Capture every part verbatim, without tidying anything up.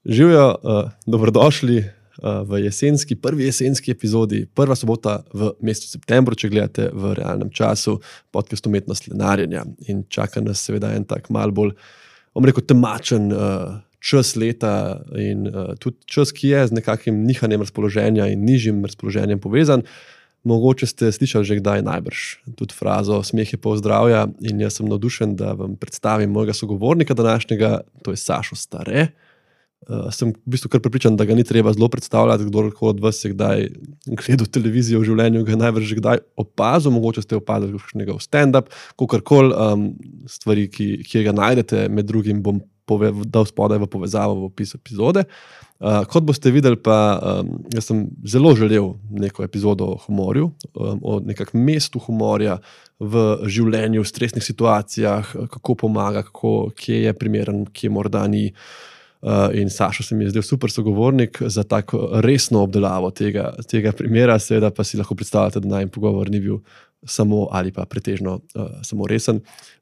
Živijo, uh, dobrodošli uh, v jesenski, prvi jesenski epizodi, prva sobota v mesecu septembru, če gledate v realnem času, podcast Umetnost lenarjenja. In čaka nas seveda en tak mal bolj, bom rekel, temačen uh, čas leta in uh, tudi čas, ki je z nekakim nihanjem razpoloženja in nižjim razpoloženjem povezan. Mogoče ste slišali že kdaj najbrž tudi frazo smeh je pol zdravja in jaz sem navdušen, da vam predstavim mojega sogovornika današnjega, to je Sašo Stare. Uh, sem v bistvu kar prepričan, da ga ni treba zelo predstavljati, kdorkoli od vas je kdaj gledal televizijo v življenju, ga je najbrž že kdaj opazil, mogoče ste opazili kakšnega stand-up, kakorkoli um, stvari, ki, ki ga najdete, med drugim bom pove, dal spodaj v povezavo v opis epizode. Uh, kot boste videli pa, um, jaz sem zelo želel neko epizodo o humorju, um, o nekakšnem mestu humorja v življenju, v stresnih situacijah, kako pomaga, kako, kje je primeren, kje morda ni. Uh, in Sašo se mi je zdel super sogovornik za tako resno obdelavo tega, tega primera, seveda pa si lahko predstavljate, da najmen pogovor ni bil samo ali pa pretežno uh, samo resen.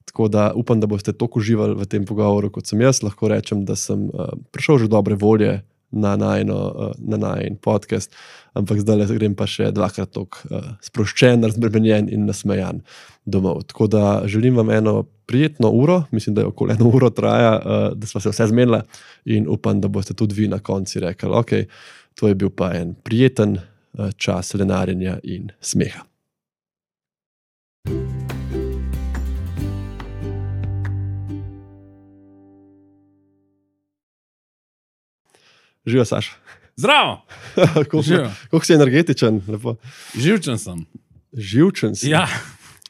Tako da upam, da boste toliko uživali v tem pogovoru, kot sem jaz. Lahko rečem, da sem uh, prišel že dobre volje na najno, uh, na najn podcast, ampak zdaj grem pa še dvakrat toliko uh, sproščen, razbremenjen in nasmejan domov. Tako da želim vam eno prijetno uro, mislim, da je okoli eno uro traja, uh, da smo se vse zmenili in upam, da boste tudi vi na konci rekli, ok, to je bil pa en prijeten uh, čas lenarjenja in smeha. Živijo, Saša. Zdravo! Koliko si energetičen? Lepo. Živčen sem. Živčen si? Ja.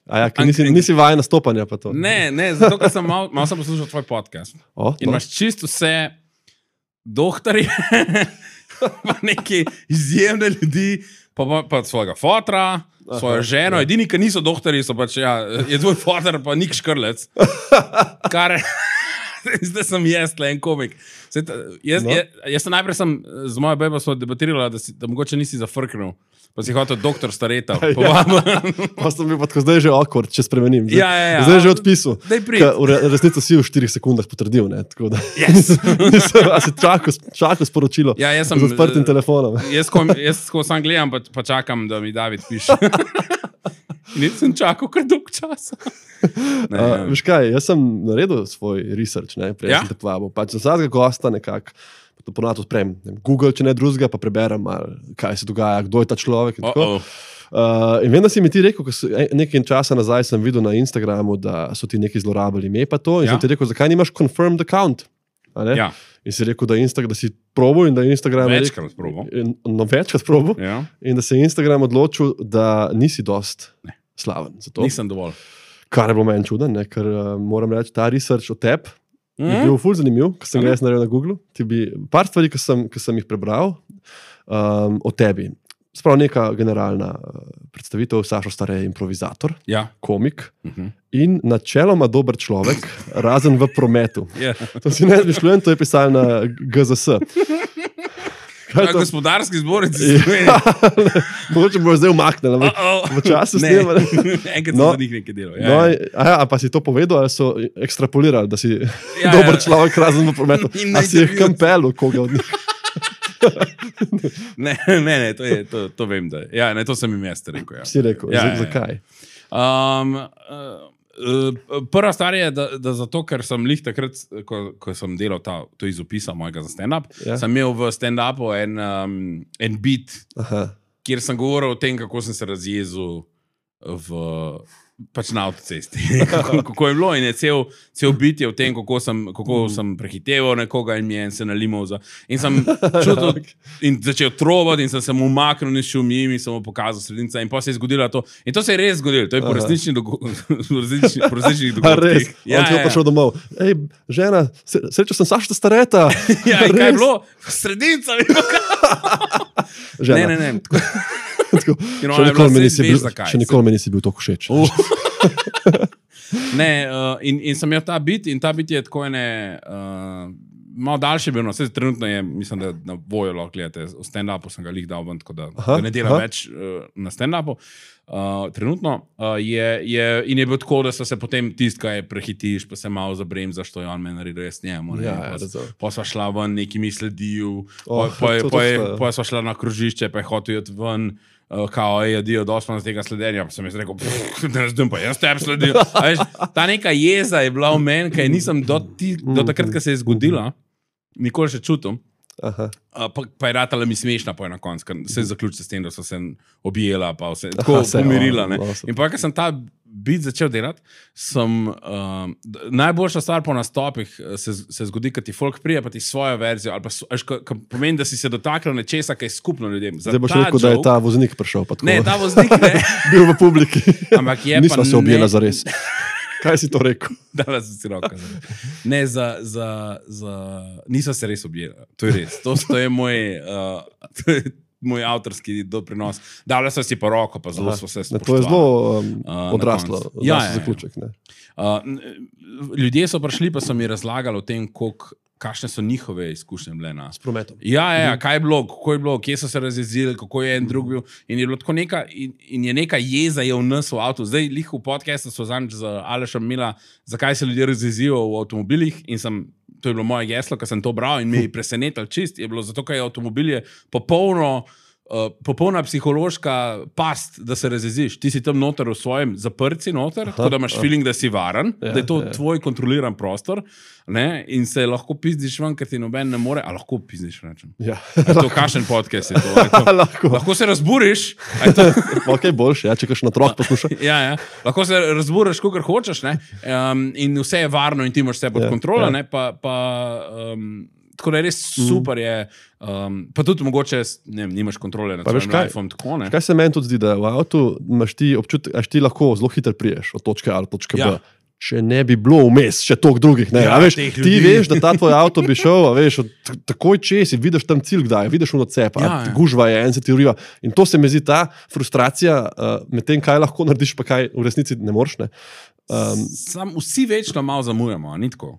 A ja, nisi, nisi vajen nastopanja pa to? Ne, ne, zato ker sem malo mal sem poslušal tvoj podcast. O, in imaš čisto vse doktorje, pa neke izjemne ljudi, pa, pa, pa svojega fotra, svojo Aha, ženo. Ja. Edini, ki niso doktorji, so pač, ja, je tvoj fotor pa Nik Škrlec. Kar zdaj sem jaz, le en komik. Zdaj, jaz, no. jaz, jaz sem najprej sem z mojo bebo smo debatirala, da, si, da mogoče nisi zafrknil. Pa si hotel doktor Stareta. Ja. Pa sem bil pa tako zdaj že awkward, če spremenim. Zdaj, ja, ja, ja. zdaj že odpisal. V resnici si v štirih sekundah potrdil. Ne? Tako da, yes. nisem, a si čakal, čakal sporočilo ja, jaz sem, z odprtim telefonom. Jaz, ko, jaz ko sam gledam, pa, pa čakam, da mi David piše. Nisem čakal kar dolg časa. Ne, uh, veš kaj, jaz sem naredil svoj research, ne, prej ja? sem te povabil. Pač za vsakega gosta nekako to ponovno odprem. Google, če ne drugega, pa preberem malo, kaj se dogaja, kdo je ta človek. In, oh, oh. uh, in vem, da si mi ti rekel, ko so, nekaj časa nazaj sem videl na Instagramu, da so ti neki zlorabili ime pa to. In ja? sem ti rekel, zakaj nimaš confirmed account? Ja. In si rekel, da, Insta, da si probil in da je Instagram... Večkrat probil. No, večkrat probil. Ja. In da se je Instagram odločil, da nisi dost ne. slaven. Zato. Nisem dovolj. Kar je bilo meni čuden, ne? Ker uh, moram reči, ta research o tebi mm. je bil ful zanimiv, ko sem ga jaz naredil na Google. Ti bi par stvari, ko sem, ko sem jih prebral um, o tebi. Sprav neka generalna uh, predstavitev, Sašo Stare improvizator, ja. komik uh-huh. in načeloma dober človek, razen v prometu. Yeah. To si ne izmišljujem, to je pisal na G Z S. Na gospodarski zbornici. Ja, mogoče bo zdaj umaknil, ampak v času snema. Enkrat no, so za njih nekaj delal. Ja, no, a, ja, a pa si to povedal, ali so ekstrapolirali, da si ja, dober ja. človek, razen v prometu. A si jih kampelu, koga od njih? ne, ne, ne, to, je, to, to vem, da ja, ne, to sem jim jaz rekel. Ja. Si rekel, ja, z, ja, zakaj? Um, uh, prva stvar je, da, da zato, ker sem lih takrat, ko, ko sem delal ta, to iz opisa mojega za stand-up, ja. sem imel v stand-upu en, um, en beat, Aha. kjer sem govoril o tem, kako sem se razjezil v... pač na avtocesti. kako, kako je bilo in je cel, cel bit je v tem, kako sem, kako mm. sem prehiteval nekoga in mi je se nalimal za... In sem čutil in začel trovati in sem se mu umaknil in šel mim in sem mu pokazal sredinca in pa se je zgodilo to. In to se je res zgodilo. To je po resničnih dogodkih. Pa res, ja, on ti je ja, prišel ja. domov. Ej, žena, srečo sem Sašo Stareta. ja, in kaj je bilo? Sredinca mi pokazal. Žena. Ne, ne, ne. Tako, še nikoli mi nisi bil, še nikoli mi nisi bil toliko všeč. Uh. ne, uh, in, in sem imel ta bit in ta bit je tako ene uh, malo daljši bil, no, vse trenutno je, mislim, da na Vojo lahko gledate, v stand-upu sem ga lih dal ven, tako da, aha, da ne delam aha. več uh, na stand-upu. Uh, trenutno uh, je, je, in je bil tako, da so se potem tist, kaj prehitiš, pa se malo zabremzaš, to je on me naredil, jaz njemu. Ne, ja, pa, pa sva šla ven, neki mi sledil, oh, pa, pa, pa, pa, pa sva šla na krožišče, pa je hotel jeti ven, uh, kao je jadijo dosman z tega sledenja, pa sem jaz rekel, ne razumem, pa jaz tebi sledil. Veš, ta neka jeza je bila v meni, kaj nisem do, ti, do takrat, ko se je zgodila, nikoli še čutim. Uh, pa, pa je ratala mi smešna po ena konc, ker se je zaključila s tem, da so se objela, pa vse tako pomirila. Awesome. In pa, ker sem ta bit začel delati, sem uh, najboljša stvar po nastopih se, se zgodi, kad ti folk prije, pa ti svojo verzijo, ali pa až, ka, ka pomeni, da si se dotaknil nečesa, kaj je skupno ljudem. Za zdaj boš rekel, joke, da je ta voznik prišel. Pa tako, ne, ta voznik ne. Bil v publiki. Ampak je nisva pa se objela ne... zares. Kaj si to rekel? Dala sem si roka. Ne, za, za, za... Nisva se res objela. To je res. To, to je moj, uh, to je moj avtorski doprinos. Dala sem si pa roko, pa zelo smo se spoštovali. To je zelo um, odraslo. Ja, ja, zaključek, ne. Uh, ljudje so prišli, pa so mi razlagali o tem, koliko kakšne so njihove izkušnje bile na... S prometom. Ja, ja, kaj je bilo, kako je bilo, kje so se razjezili, kako je en drug bil. In je bilo tako neka, in, in je neka jeza je v nas v avtu. Zdaj, lih v podcastu so zanj z Alešem imela, zakaj se ljudje razjezijo v avtomobilih in sem, to je bilo moje geslo, ko sem to bral in me je presenetal čist, je bilo zato, ker je avtomobil je popolno Uh, popolna psihološka past, da se razjeziš. Ti si tam noter v svojem zaprci noter, aha, tako da imaš aha. feeling, da si varen, ja, da je to ja. tvoj kontroliran prostor, ne? In se lahko pizdiš ven, ker ti noben ne more, a lahko pizdiš, rečem. Ja. A to kakšen podcast je to? to? lahko. lahko se razburiš. To... ok, boljše, ja, če kaš na troh posluša. ja, ja. Lahko se razburiš, kakor hočeš, ne? Um, in vse je varno in ti imaš vse pod ja, kontrolo, ja. ne? Pa... pa um, tako da je res super je, um, pa tudi mogoče, ne vem, nimaš kontrole nad svojim life-om, tako ne. Kaj se meni tudi zdi, da v avtu imaš ti občutek, až ti lahko zelo hitro priješ od točke A do točke ja. B. Če ne bi bilo vmes, še toliko drugih, ne. Ja, a veš, ti veš, da ta tvoj avto bi šel, a veš, takoj čez in vidiš tam cilj, kdaj, vidiš ono cepa, ja, ja. gužva je, en se ti uriva. In to se mi zdi ta frustracija uh, med tem, kaj lahko narediš, pa kaj v resnici ne moreš, ne. Um, Sam vsi večno malo zamujamo, a ni tako?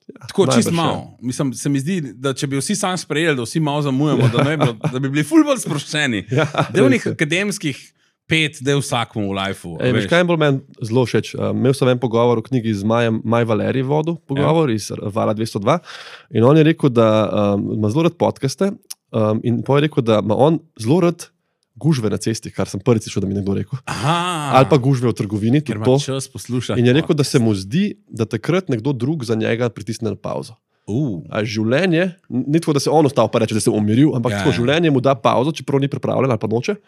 Ja, tako čist malo. Mislim, se mi zdi, da če bi vsi sam sprejeli, da vsi malo zamujamo, da, ne bi, da bi bili ful bolj sproščeni. Ja, Delnih akademskih pet, del vsakmu v lifeu. Ej, veš, kaj je bolj meni zelo všeč? Uh, imel sem en pogovor v knjigi z Majem, Maj Valerij vodil, pogovor ja. iz Vala dvesto dva in on je rekel, da um, ima zelo rad podcaste um, in pa je rekel, da ima on zelo rad gužve na cesti, kar sem prvič slišal, da mi nekdo rekel. Aha. Ali pa gužve v trgovini. Ker ima čas poslušati. In je rekel, da se mu zdi, da takrat nekdo drug za njega pritisne na pauzo. Uh. A življenje, ni tako, da se on ostal pa reče, da se je umiril, ampak ja, tako, ja. življenje mu da pauzo, čeprav ni pripravljen ali pa noče.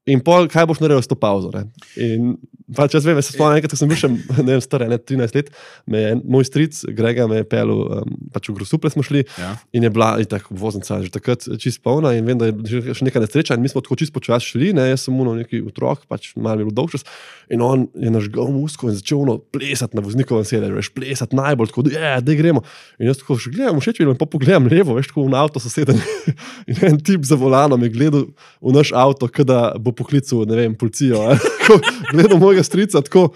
In pol, kaj boš naredil s to pauzo? Ne? In pač jaz vem, jaz se spomnim enkrat, ko sem bil še, ne vem, star, ne, trinajst let, me je moj stric, Grega, me je pelil, um, pač v Grosuplje smo šli ja. in je bila, in tako, voznica že takrat čist polna in vem, da je še neka nesreča in mi smo tako čist počas šli, ne, jaz sem uno neki otrok, pač malo je bil dolg čas in on je nažgal musko in začel uno plesati na voznikovem sedežu, veš, plesati najbolj, tako, je, daj gremo. In jaz tako še gledam, všeč mi, in pa pogledam levo, veš, tako v avto soseden in en tip za volanom je gledal v naš avto, kada bo poklical, ne vem, policijo. Gledal mojega strica, tako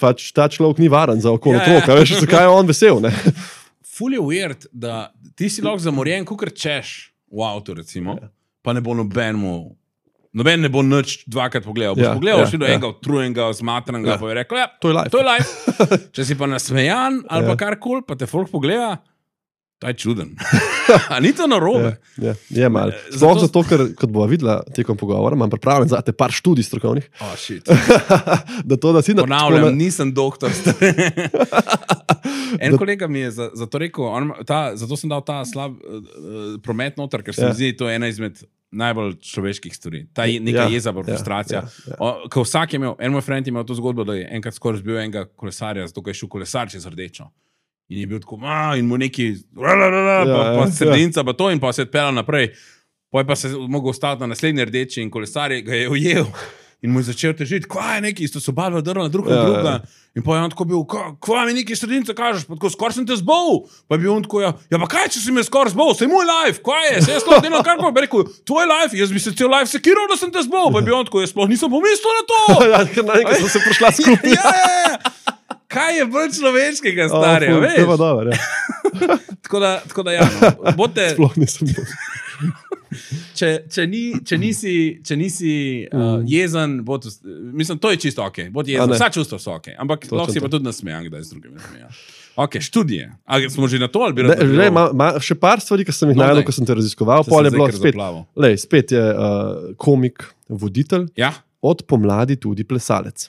pač ta človek ni varen za okolo ja, otroka, ja. veš, zakaj je on vesel, ne? Ful je weird, da ti si lahko zamorjen, kakor češ v avtu, recimo, ja. pa ne bo nobenmu, noben ne bo nič dvakrat pogledal. Boš ja, pogledal, ja, šli do ja. enega utrujenega, zmatranega, ja. pa je rekel, ja, to je life. To je life. Če si pa nasmejan ali ja. pa karkoli, pa te folk pogleda, to je čuden. A ni to narobe? Ja, je malo. Sploh zato, zato, ker, kot bova videla tekom pogovora, imam pripravljen za te par študij strokovnih. Oh, shit. da to, da si na... Ponavljam, na... nisem doktor. En da... kolega mi je za, za to rekel, on, ta, zato sem dal ta slab uh, promet noter, ker se ja. mi zdi, to je ena izmed najbolj človeških stvari. Ta je, neka ja, jeza, frustracija. Ja, ja, ja. Ko vsak je imel, en moj friend je imel to zgodbo, da je enkrat skoraj zbil enega kolesarja, zato ker je šel kolesar čez rdečo. In je bil tako, a, in mu neki, pa, pa sredinca, pa to, in pa se je odpeljal naprej. Potem pa se je mogel ostati na naslednji rdeči in kolesar ga je ujel. In mu je začel težiti, kva je neki, isto so balva drla drug na druga. In pa je on tako bil, kva mi neki sredinca kažeš, pa tako, skor sem te zbol. Pa je bil on tako, ja, ja pa kaj, če si me skor zbol, sej moj life, kva je, sej jaz sploh delam kar pa, bi rekel, tvoj life, jaz bi se cel life sekiral, da sem te zbol. Pa je bil on tako, jaz sploh nisem pomislil na to. Ja, ker na nekaj smo se prišla skupaj. Ja, ja, ja. Kaj je bolj človeškega, starega, oh, veš? To je pa dobro, ja. tako da, tako da ja, no. Bote, Sploh nisem. če, če, ni, če nisi, če nisi uh, jezen, bod, mislim, to je čisto ok. Bod jezen, vsa čustva so ok. Ampak lahko si pa tudi nasmejan, kdaj z drugimi nasmejan. Ok, študije. A smo že na to ali bi ne, le, ma, ma, še par stvari, ki sem jih no, najdel, ko sem te raziskoval. Pol je bilo spet, lej, spet je uh, komik, voditelj, ja? Od pomladi tudi plesalec.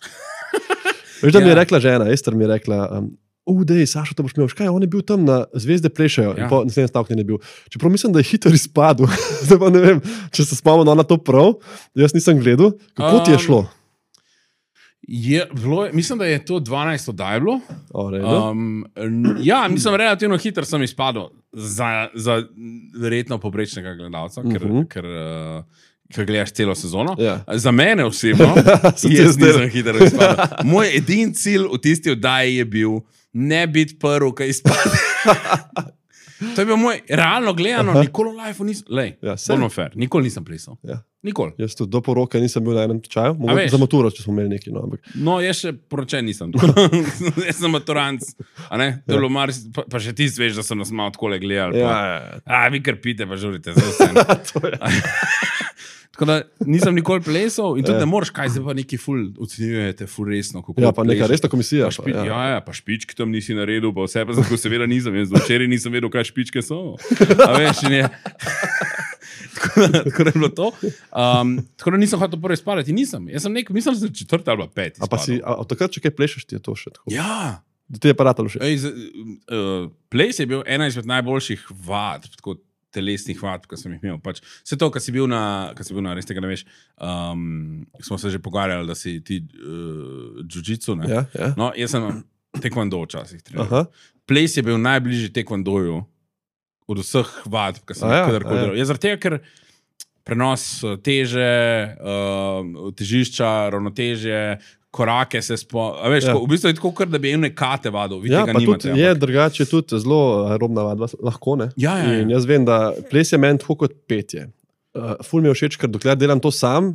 Veš, da ja. Mi je rekla žena, Ester mi je rekla, um, udej, Sašo, to boš imel, škaj, on je bil tam na Zvezde plešajo ja. In po naslednjem stavku ne bil. Čeprav mislim, da je hiter izpadel, zdaj pa ne vem, če se spomnil na to prav, jaz nisem gledal, kako um, ti je šlo? Je, bilo, mislim, da je to dvanajst oddaj bilo. O, um, ja, mislim, relativno hiter sem izpadel za, za verjetno poprečnega gledalca, uh -huh. ker, ker, uh, ker gledaš celo sezono. Ja. Za mene osebno jaz nisem hiter izpadel. Moj edin cilj v tisti oddaji je bil ne biti prvi, ki izpade. To je bil moj, realno gledano, aha. Nikoli v lifeu nisem, lej, ja, bolno fair, nikoli nisem plesal. Ja. Nikoli. Jaz tudi do poroke nisem bil na enem tečaju, mogoče za maturo, če smo imeli neki. No, ampak... no jaz še poročen nisem. Jaz sem maturanc, a ne? To je bilo mar, pa, pa še ti sveš, da sem nas malo takole gledali. Ja, ja, ja. A, vi kar pite, pa žurite, za vse. Tako da nisem nikoli plesal in tudi ja. Ne moreš, kaj zdaj pa neki ful ocenjujete, ful resno. Ja, pa neka resna komisija. Pa špi, pa, ja. ja, ja, pa špičke tam nisi naredil, pa vse pa zato seveda nisem. Jaz včeraj nisem vedel, kaj špičke so. A veš, ne. Tako da, tako da je bilo to. Um, tako da nisem hotel prvi spadati. Nisem. Jaz sem nek, mislim, da sem četrti ali peti. A pa si, a od takrat, če kaj plešeš, ti je to še tako? Ja. Da ti je pa ratalo še? Ej, z, uh, ples je bil ena izmed najboljših vad, tako telesnih vad, ki sem jih imel. Pač, vse to, kar si bil na, kar si bil na, res tega ne veš, um, smo se že pogovarjali, da si ti uh, jiu-jitsu, ne? Ja, ja. No, jaz sem tekvando včasih treniral. Ples je bil najbližji tekvandoju od vseh vad, ki sem jih kadarkoli delal. Je zaradi tega, ker prenos teže, uh, težišča, ravnotežje, korake se spo... A veš, ja. Tako, v bistvu je tako, kar da bi ene kate vadil. Vi ja, tega pa nimate. Tudi, je drugače tudi zelo aerobna vadba, lahko ne. Ja, ja, ja. In jaz vem, da ples je meni tako kot petje. Uh, ful mi je všeč, ker dokler delam to sam,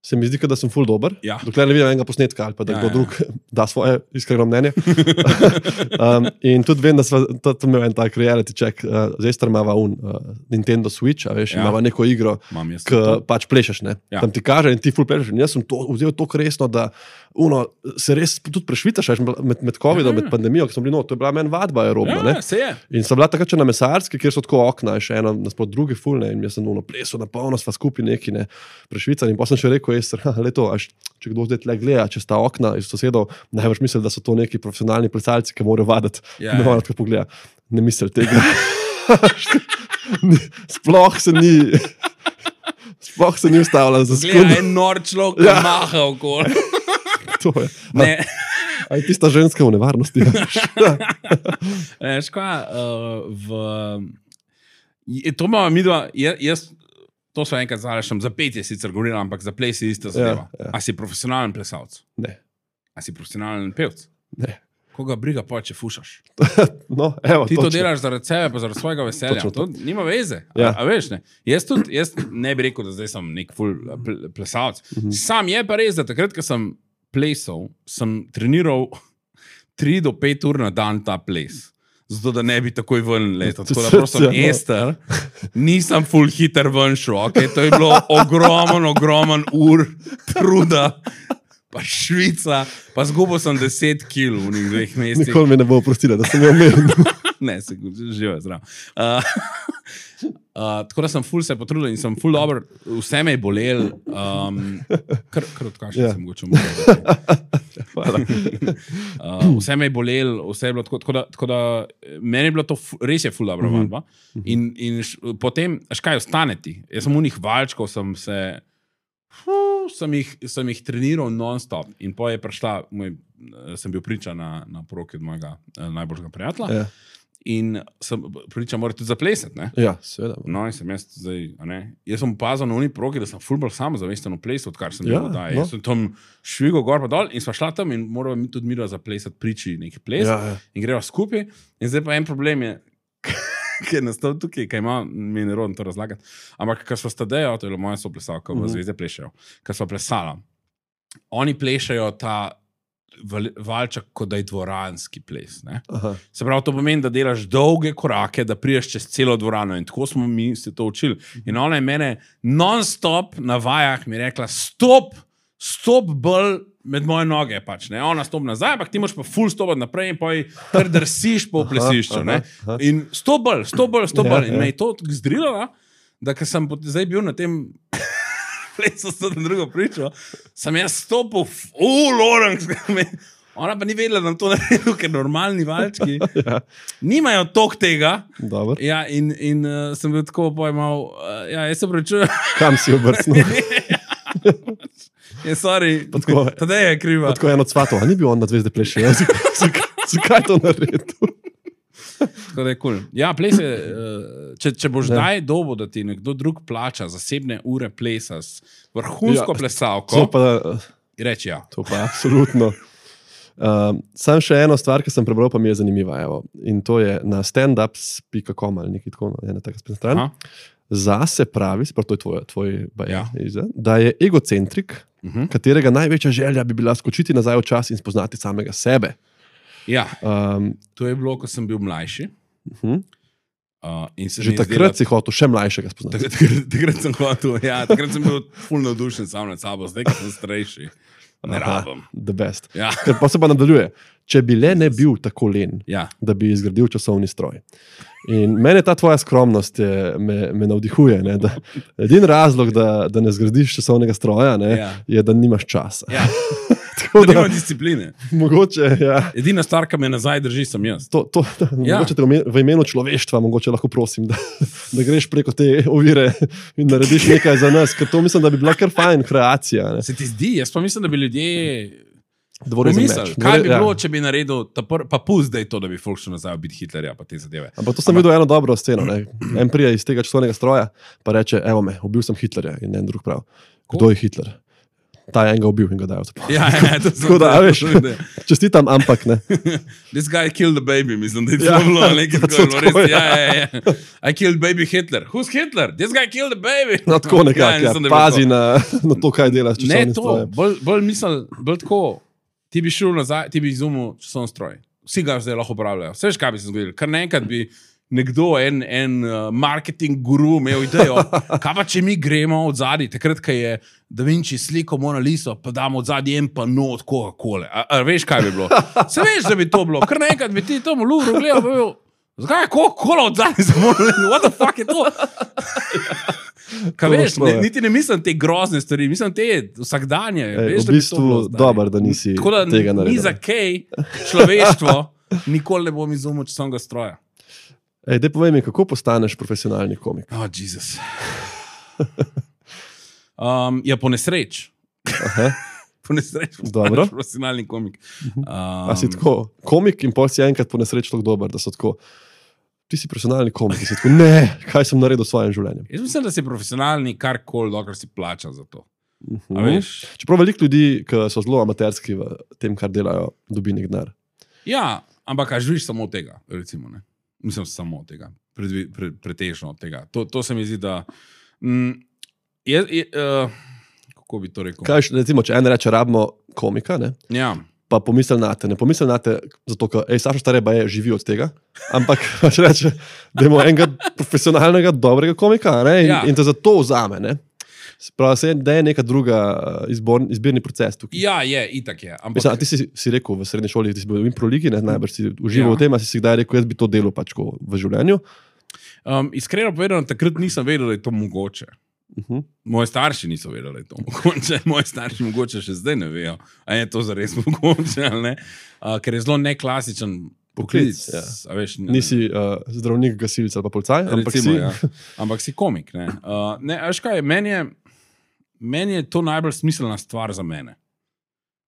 se mi zdi, da sem ful dober. Ja. Dokler ne vidim enega posnetka ali pa da ja, kdo ja. Drug da svoje iskreno mnenje. um, in tudi vem, da smo imeli en tak reality check. Uh, zdaj star imava un uh, Nintendo Switch, a veš, ja. Imava neko igro, ki pač plešeš, ne. Ja. Tam ti kaže in ti ful plešeš. In jaz sem to vzel tako resno, da uno, se res tudi prešvitaš med, med covidom, ja. Med pandemijo, ki smo bili no, to je bila meni vadba aerobna. Ja, se je. In sem bila takrat še na mesarski, kjer so tako okna, še eno naspod drugi ful, ne, in jaz sem uno plesal na polno, sva skupaj neki, ne, prešvican. In pa sem še rekel, Ester, leto, až, če kdo zdaj tle gleda, če sta okna iz sosedov, največ misli, da so to neki profesionalni plesalci, ki morajo vaditi. Ja, ne morajo tako pogleda. Ne misli tega. Sploh se ni sploh se ni ustavljal za sekundo. Gleda, en nor človek ja. Maha okoli. To je. Ne. A je tista ženska v nevarnosti. Veš kaj, uh, v... To imamo mi dva, jaz to so enkrat zalašam, za pet je sicer govorila, ampak za ples je ista zadeva. Ja, ja. A si profesionalen plesalc? Ne. A si profesionalen pevc? Ne. Koga briga pa, če fušaš? No, evo, ti točno. To delaš zaradi sebe, pa zaradi svojega veselja. To. To nima veze. Ja. A, a veš, ne? Jaz tudi, jaz ne bi rekel, da zdaj sem nek ful plesalc. Mhm. Sam je pa res, da takrat, ko sem plesal, sem treniral tri do pet ur na dan ta ples. Zato, da ne bi takoj ven letel. Tako da prosim, Ester, nisem ful hiter ven šel, okay? To je bilo ogromen, ogromen ur truda, pa Švica, pa zgubil sem deset kil v njih dveh mesecih. Nikoli me ne bo oprostila, da sem jo omenil. Ne, se živo je zdrav. Uh, uh, tako da sem ful se potrudil in sem ful dober, vse me je bolel, um, kar, kar odkašal yeah. sem mogoče mogoče. Hvala. uh, vse me je bolel, vse je bilo tako, tako da, tako da meni je bilo to ful, res je ful dobra vadba. Mm -hmm. In, in š, potem, až kaj ostane ti? Jaz sem unih valčkov, sem se, fu, sem jih, sem jih treniral non-stop in po je prišla, moj, sem bil priča na, na poroki od mojega najboljšega prijatelja. Yeah. In sem priča, mora tudi zaplesati, ne? Ja, seveda. No, in sem jaz zdaj, a ne? Jaz sem opazil na oni progi, da sem ful bolj samozavesten v plesu, odkar sem ja, bil, da. No. Jaz sem tam švigal gor pa dol in sva šla tam in morala mi tudi mira zaplesati priči neki ples. Ja, ja. In greva skupaj. In zdaj pa en problem je, ki je nastal tukaj, kaj ima, mi je nerodno to razlagati. Ampak, kar sva stadejo, to je bilo moja soplesalka, v Zvezde plešajo, kar sva plesala. Oni plešajo ta valček, kot da je dvoranski ples. Ne? Se pravi, to pomeni, da delaš dolge korake, da priješ čez celo dvorano in tako smo mi se to učili. In ona je mene non-stop na vajah mi rekla, stop, stop bolj med moje noge pač, ne? Ona stop nazaj, ampak ti moraš pa ful stopati naprej in pa kar drsiš po plesišču, ne? In stop bolj, stop bolj, stop bolj. In me je to zdrilala, da ker sem zdaj bil na tem plesu s to drugo pričo, sem jaz stopil v Lorenz. Ona pa ni vedela, da nam to naredil, ker normalni valčki ja. nimajo tok tega. Dobar. Ja, in, in uh, sem bil tako pojmal, uh, ja, jaz se prečujem. Kam si obrcnil? Je, sorry, tadej je kriva. Tako je eno cvato, a ni bil on na Zvezde pleše? Ja, zakaj to naredil? Tako da je cool. Ja, ples je, če, če boš ja. daj dobo, da ti nekdo drug plača zasebne ure plesa s vrhunsko ja, plesalko, pa, reči ja. To pa absolutno. Um, sam še eno stvar, ki sem prebral, pa mi je zanimiva. Evo. In to je na standups pika com ali nekaj tako, ena taka spet stran. Zase pravi, to je tvoj, tvoj baja, ja. da je egocentrik, uh-huh. katerega največja želja bi bila skočiti nazaj v čas in spoznati samega sebe. Ja, um, to je bilo, ko sem bil mlajši. Uh-huh. Uh, in se že takrat si hotel še mlajšega spoznati. Takrat, takrat sem hotel, ja, takrat sem bil ful navdušen sam nad sabo, zdaj, ko sem starejši. Ne rabim. The best. Ja. Ker pa se pa nadaljuje. Če bi le ne bil tako len, ja. da bi izgradil časovni stroj. In mene ta tvoja skromnost je, me, me navdihuje. Ne, da, edin razlog, da, da ne zgradiš časovnega stroja, ne, ja. je, da nimaš časa. Ja. Da nima discipline. Mogoče, ja. Edina stvar, ki me nazaj drži, sem jaz. To, to, ja. Mogoče te v imenu človeštva, mogoče lahko prosim, da, da greš preko te ovire in narediš nekaj za nas, ker to mislim, da bi bila kar fajn kreacija. Ne. Se ti zdi? Jaz pa mislim, da bi ljudje pomislili, kaj bi bilo, ja. če bi naredil, pr, pa pust, da je to, da bi folk šel nazaj biti Hitlerja, pa te zadeve. Ampak to sem Ampak... videl eno dobro sceno. Ne. En prija iz tega časovnega stroja, pa reče, evo me, ubil sem Hitlerja in en drug prav. Kdo je Hitler? Ta je enega ubil in ga dajo zapor. Ja, ja, to sem da, veš, čestitam, ampak ne. This guy killed the baby, mislim, da je to bilo nekaj tako. Ja, ja, ja. I killed baby Hitler. Who's Hitler? This guy killed the baby. No, tako nekako, ja, ja. Pazi na, na to, kaj delaš časovnim strojem. Ne, to, bolj, bolj mislim, bolj tako, ti bi šel nazaj, ti bi izumil časovni stroj. Vsi ga zdaj lahko upravljajo. Vse veš, kaj bi se zgodilo. Kar naenkrat bi nekdo, en, en uh, marketing guru imel idejo, kaj pa če mi gremo od zadaj, takrat, ko je Da Vinci sliko Mona Liso, pa damo od zadaj en pa not Coca-Cola. A, a veš, kaj bi bilo? Se veš, da bi to bilo. Kar naenkrat bi ti tomu luro gledal, pa bi bil, zakaj je Coca-Cola od zadaj za Mona Liso? What the fuck je to? Kaj veš, ne, niti ne mislim te grozne stvari, mislim te vsakdanje. Ej, veš, v bistvu dober, da nisi da tega naredil. Ni za kaj človeštvo, nikoli ne bom izumil časovnega stroja. Ej, dej povej mi, kako postaneš profesionalni komik? Oh, Jesus. Um, ja, po nesreč. Aha. Po nesreč Dobro. postaneš profesionalni komik. Um, A si tako komik in pol si enkrat po nesreč tako dober, da so tako, ti si profesionalni komik in si tako, ne, kaj sem naredil s svojim življenjem. Jaz mislim, da si profesionalni karkoli, dokler si plača za to. Uh-huh. A veš? Čeprav veliko ljudi, ki so zelo amaterski v tem, kar delajo, dobi nek denar. Ja, ampak a živiš samo od tega, recimo, ne? Mislim, samo od tega, pre, pre, pretežno od tega. To, to se mi zdi, da... Mm, Je, je, uh, kako bi to rekel? Kaj, recimo, če en reče, rabimo komika, ne? Ja. Pa pomisel na te. Ne pomisel na te, zato, ker, ej, Saša Stare je živi od tega, ampak če reče, da imamo enega profesionalnega, dobrega komika, ne? In, ja. in te za to vzame, ne? Pravi, da je neka druga izbor, izbirni proces tukaj. Ja, je, itak je. Ampak... Mislim, ti si, si rekel v srednji šoli, ti si bil v improligi, ne? Najbrž si užival ja. v tem, a si si kdaj rekel, jaz bi to delal pač v življenju? Um, iskreno povedano, takrat nisem vedel, da je to mogoče. Uh-huh. Moji starši niso vedeli, da je to mogoče. Moji starši mogoče še zdaj ne vejo, a je to zares mogoče, ali ne? Uh, ker je zelo neklasičen poklic. Ja. A veš, ne, nisi uh, zdravnik, gasilec ali pa policaj, ampak recimo, si... Ja. Ampak si komik. Ne, uh, ne veš kaj, meni je, meni je to najbolj smiselna stvar za mene.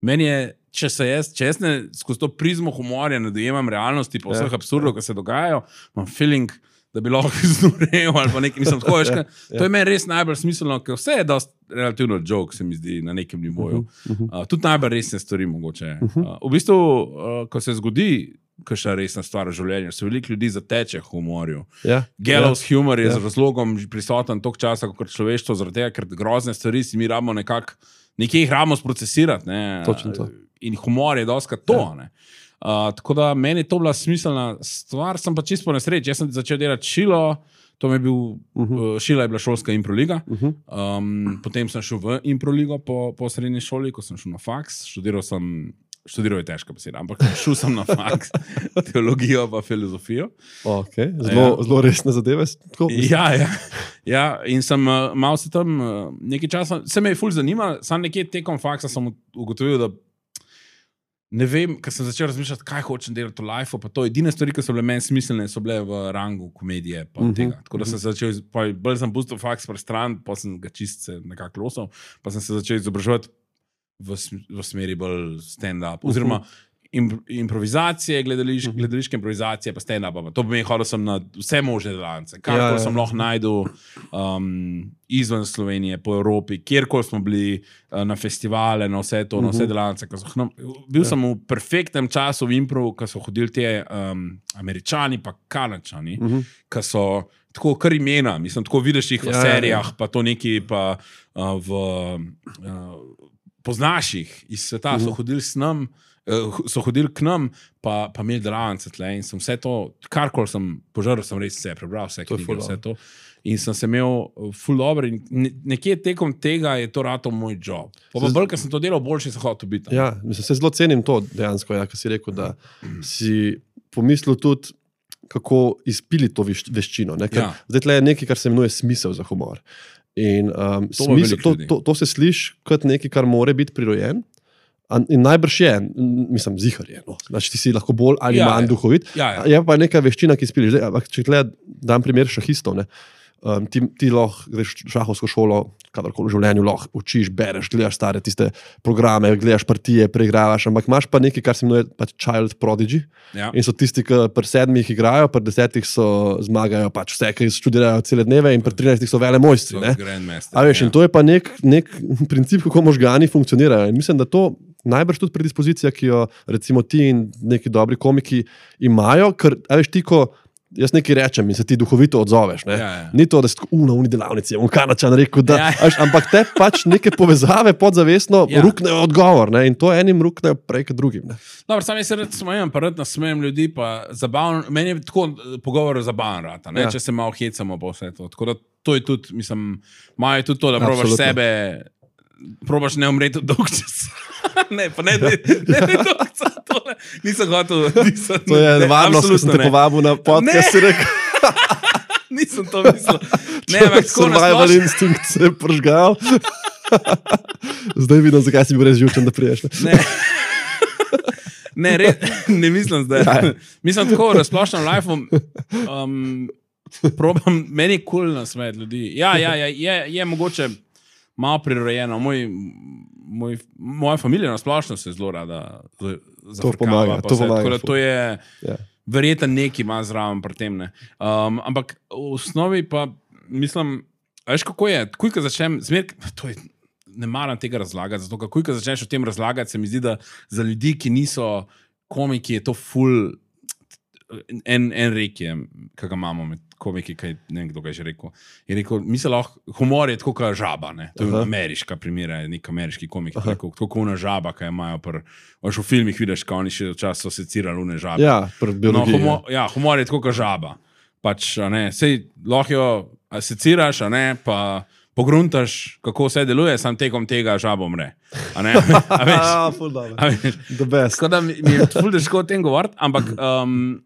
Meni je, če se jaz, če jaz ne skozi to prizmo humorja ne dojemam realnosti pa vseh ja. absurdov, ki se dogajajo, imam feeling, da bi lahko iznurel ali pa nekaj, mislim, tako, veš, ja, ja. To je meni res najbolj smiselno, ker vse je dost relativno joke, se mi zdi, na nekem nivoju. Uh-huh, uh-huh. Uh, tudi najbolj resne stvari mogoče. Uh-huh. Uh, v bistvu, uh, ko se zgodi kakšna resna stvar v življenju, se veliko ljudi zateče v humorju. Ja, Gallows ja, humor je ja. z razlogom prisoten toliko časa, kot človeštvo, zaradi tega, ker grozne stvari si mi rabimo nekako, nekje jih rabimo sprocesirati. Ne? Točno to. in humor je doska to. Ja. Uh, tako da meni je to bila smiselna stvar, sem pa čisto po nesreči. Jaz sem začel delati Šilo, to mi je bil, uh -huh. uh, Šila je bila šolska improliga, uh -huh. um, potem sem šel v improligo po, po srednji šoli, ko sem šel na faks, študiral sem, študiral je težka beseda, ampak šel sem na faks, teologijo pa filozofijo. Okay. Zelo, ja. zelo resne zadeve. Ja, ja. ja, in sem uh, malo se tam uh, nekaj časa, se me je ful zanimal, sam nekje tekom faksa sem ugotovil, da ne vem, ker sem začel razmišljati, kaj hočem delati v life, pa to edine stvari, ki so bile meni smiselne, so bile v rangu komedije pa uh-huh. tega. Tako da sem se začel, pa bolj sem pustil faks pri stran, pa sem ga čist se nekako losal, pa sem se začel izobraževati v, v smeri bolj stand-up, oziroma uh-huh. improvizacije, gledališ, uh-huh. gledališke improvizacije, pa stand-up. To pomeni, hodil sem na vse možne delavnice. Kakor ja, ja. sem lahko najdel um, izven Slovenije, po Evropi, kjerkoli smo bili uh, na festivale, na vse to, uh-huh. na vse delavnice. No, bil ja. sem v perfektnem času v improv, ko so hodili te um, Američani pa Kanačani, uh-huh. ki so tako kar imena, mislim, tako vidiš jih v ja, serijah, ja. pa to neki pa uh, v uh, poznaš jih iz sveta, uh-huh. so hodili s nam, so hodili k nam, pa, pa imeli delavnice tle in sem vse to, karkoli sem požaril, sem res vse prebral, vse knjige, vse to. In sem se imel ful dobro in nekje tekom tega je to rato moj job. Pa bolj, ker sem to delal, boljše sem hotel biti. Ja, mislim, se zelo cenim to dejansko, ja, ker si rekel, da si pomislil tudi, kako izpili to veščino. Ne? Ker ja. Zdaj tle je nekaj, kar se imenuje smisel za humor. In um, to, smisel, to, to, to se sliši kot nekaj, kar more biti prirojen. In najbrž je, mislim, zihar je. No. Znači, ti si lahko bolj ali ja, manj duhovit. Ja, ja. Je pa neka veščina, ki spiliš. Zdaj, če gleda, dam primer šahistov, ne. Um, ti, ti lahko greš šahovsko šolo, kadarkoli v življenju lahko učiš, bereš, gledaš stare tiste programe, gledaš partije, preigravaš, ampak imaš pa nekaj, kar se imenuje pač child prodigy. Ja. In so tisti, ki pri sedmih igrajo, pri desetih so zmagajo pač vse, ki študirajo cele dneve in pri trinajstih so vele mojstri. A veš, ja. In to je pa nek, nek princip, kako možgani funkcionirajo. In mislim, da to najbrž tudi predispozicija, ki jo recimo ti in neki dobri komiki imajo, ker, a veš, ti, ko jaz nekaj rečem in se ti duhovito odzoveš, ne? Ja, ja. Ni to, da si tako, na uni delavnici, on Kanačan rekel, da, ja. Až, ampak te pač neke povezave podzavestno ja. Ruknejo odgovor, ne? In to enim ruknejo prej kot drugim. Ne? Dobro, sam jaz se rad smejem, pa rad nasmejem ljudi, pa zabavno, meni je tako pogovor zabaven rata, ne? Ja. Če se malo hecamo po vse to. Tako da to je tudi, mislim, imajo tudi to, da probaš sebe, probaš ne umreti dolg čas. Ne, pa ne, ne, ne, ne, dokca, tole, nisem hotel, nisem, to je nevarnost, ko sem te povabil na podcast, si rekel. Nisem to mislil. Ne, ampak tako survival instinct se je pržgal. Zdaj vidim, zakaj si bil res živčen, da priješ. Ne, ne, re, ne mislim zdaj. Ja. Mislim tako, razplošnem life-om, um, probam, meni je cool nasmejati ljudi. Ja, ja, ja, je, je mogoče malo prirojeno. Moj, moj, moja familija nasplošno se zelo rada zafrkava. To pomaga, to pomaga. Tako da to je ja. Verjetno neki ima zraven pri tem. Ne. Um, ampak v osnovi pa mislim, veš kako je, takoj, ko začnem, zmer, to je, ne maram tega razlagati, zato takoj, ko začneš o tem razlagati, se mi zdi, da za ljudi, ki niso komiki, je to ful, en, en rek je, kaj ga imamo med komiki, kaj, ne vem, kdo ga je že rekel. Je rekel, mi se lahko, humor je tako kot žaba, ne? To je uh-huh. ameriška primera, nek ameriški komik, uh-huh. rekel, tako kot una žaba, kaj imajo pr, v filmih vidiš, kao oni še včas so secirali une žabe. Ja, pr biologiji. No, humor, ja, humor je tako kot žaba. Pač, a ne, sej lahko jo seciraš, a ne, pa pogruntaš, kako vse deluje, sam tekom tega žaba umre. A ne, a veš? A, ful dobro. A veš? The best. Tako da mi, mi je ful težko o tem govoriti, ampak um,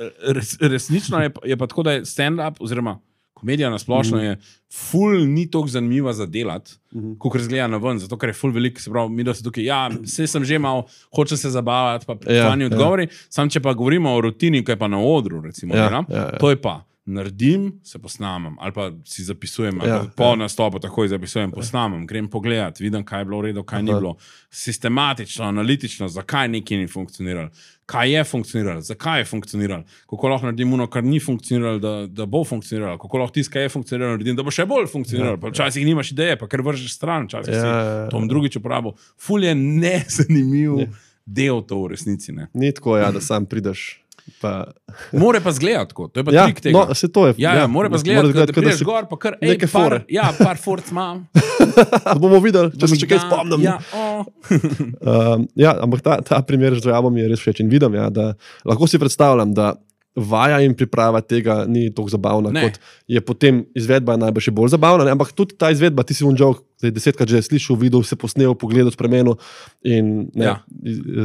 Res, resnično je, je pa tako, da je stand-up oziroma komedija nasplošno mm -hmm. je ful ni toliko zanimiva za delati, mm -hmm. kot razgleda na ven, zato ker je ful veliko, se pravi, mi da se tukaj, ja, vse sem že mal, hočem se zabavati, pa plani ja, odgovori, ja. Sam če pa govorimo o rutini, kaj pa na odru, recimo, ja, ja, ja. To je pa, naredim, se posnamem, ali pa si zapisujem, ali ja, po ja. Nastopu takoj zapisujem, posnamem, grem pogledat, vidim, kaj je bilo v redu, kaj Aha. Ni bilo, sistematično, analitično, zakaj nekaj ni funkcioniralo, kaj je funkcioniralo, zakaj je funkcioniralo, kako lahko naredim ono, kar ni funkcioniralo, da, da bo funkcioniralo, kako lahko tisto, kaj je funkcioniralo, naredim, da bo še bolj funkcioniralo, ja, pa včasih ja. Nimaš ideje, pa ker vržeš stran, včasih ja, si ja, tom drugič uporabil. Ful je nezanimiv ja. Del to v resnici. Ne? Ni tako, ja, da sam prideš. Pa... More pa zgledati tako, to je pa ja, trik tega. No, se to je. Ja, ja, more pa zgledati, da prideš gor, pa kar, ej, par, ja, par forc imam. Bomo videli, če se še kaj spomnim. Ja, oh. um, ja, ampak ta, ta primer z žrabom je res všeč in vidim, ja, da lahko si predstavljam, da vaja in priprava tega ni tako zabavna, ne. Kot je potem izvedba najbolj še bolj zabavna, ne? Ampak tudi ta izvedba, ti si un joke, desetkrat že slišal, videl, se posnel, pogledal, spremenil in ne, ja.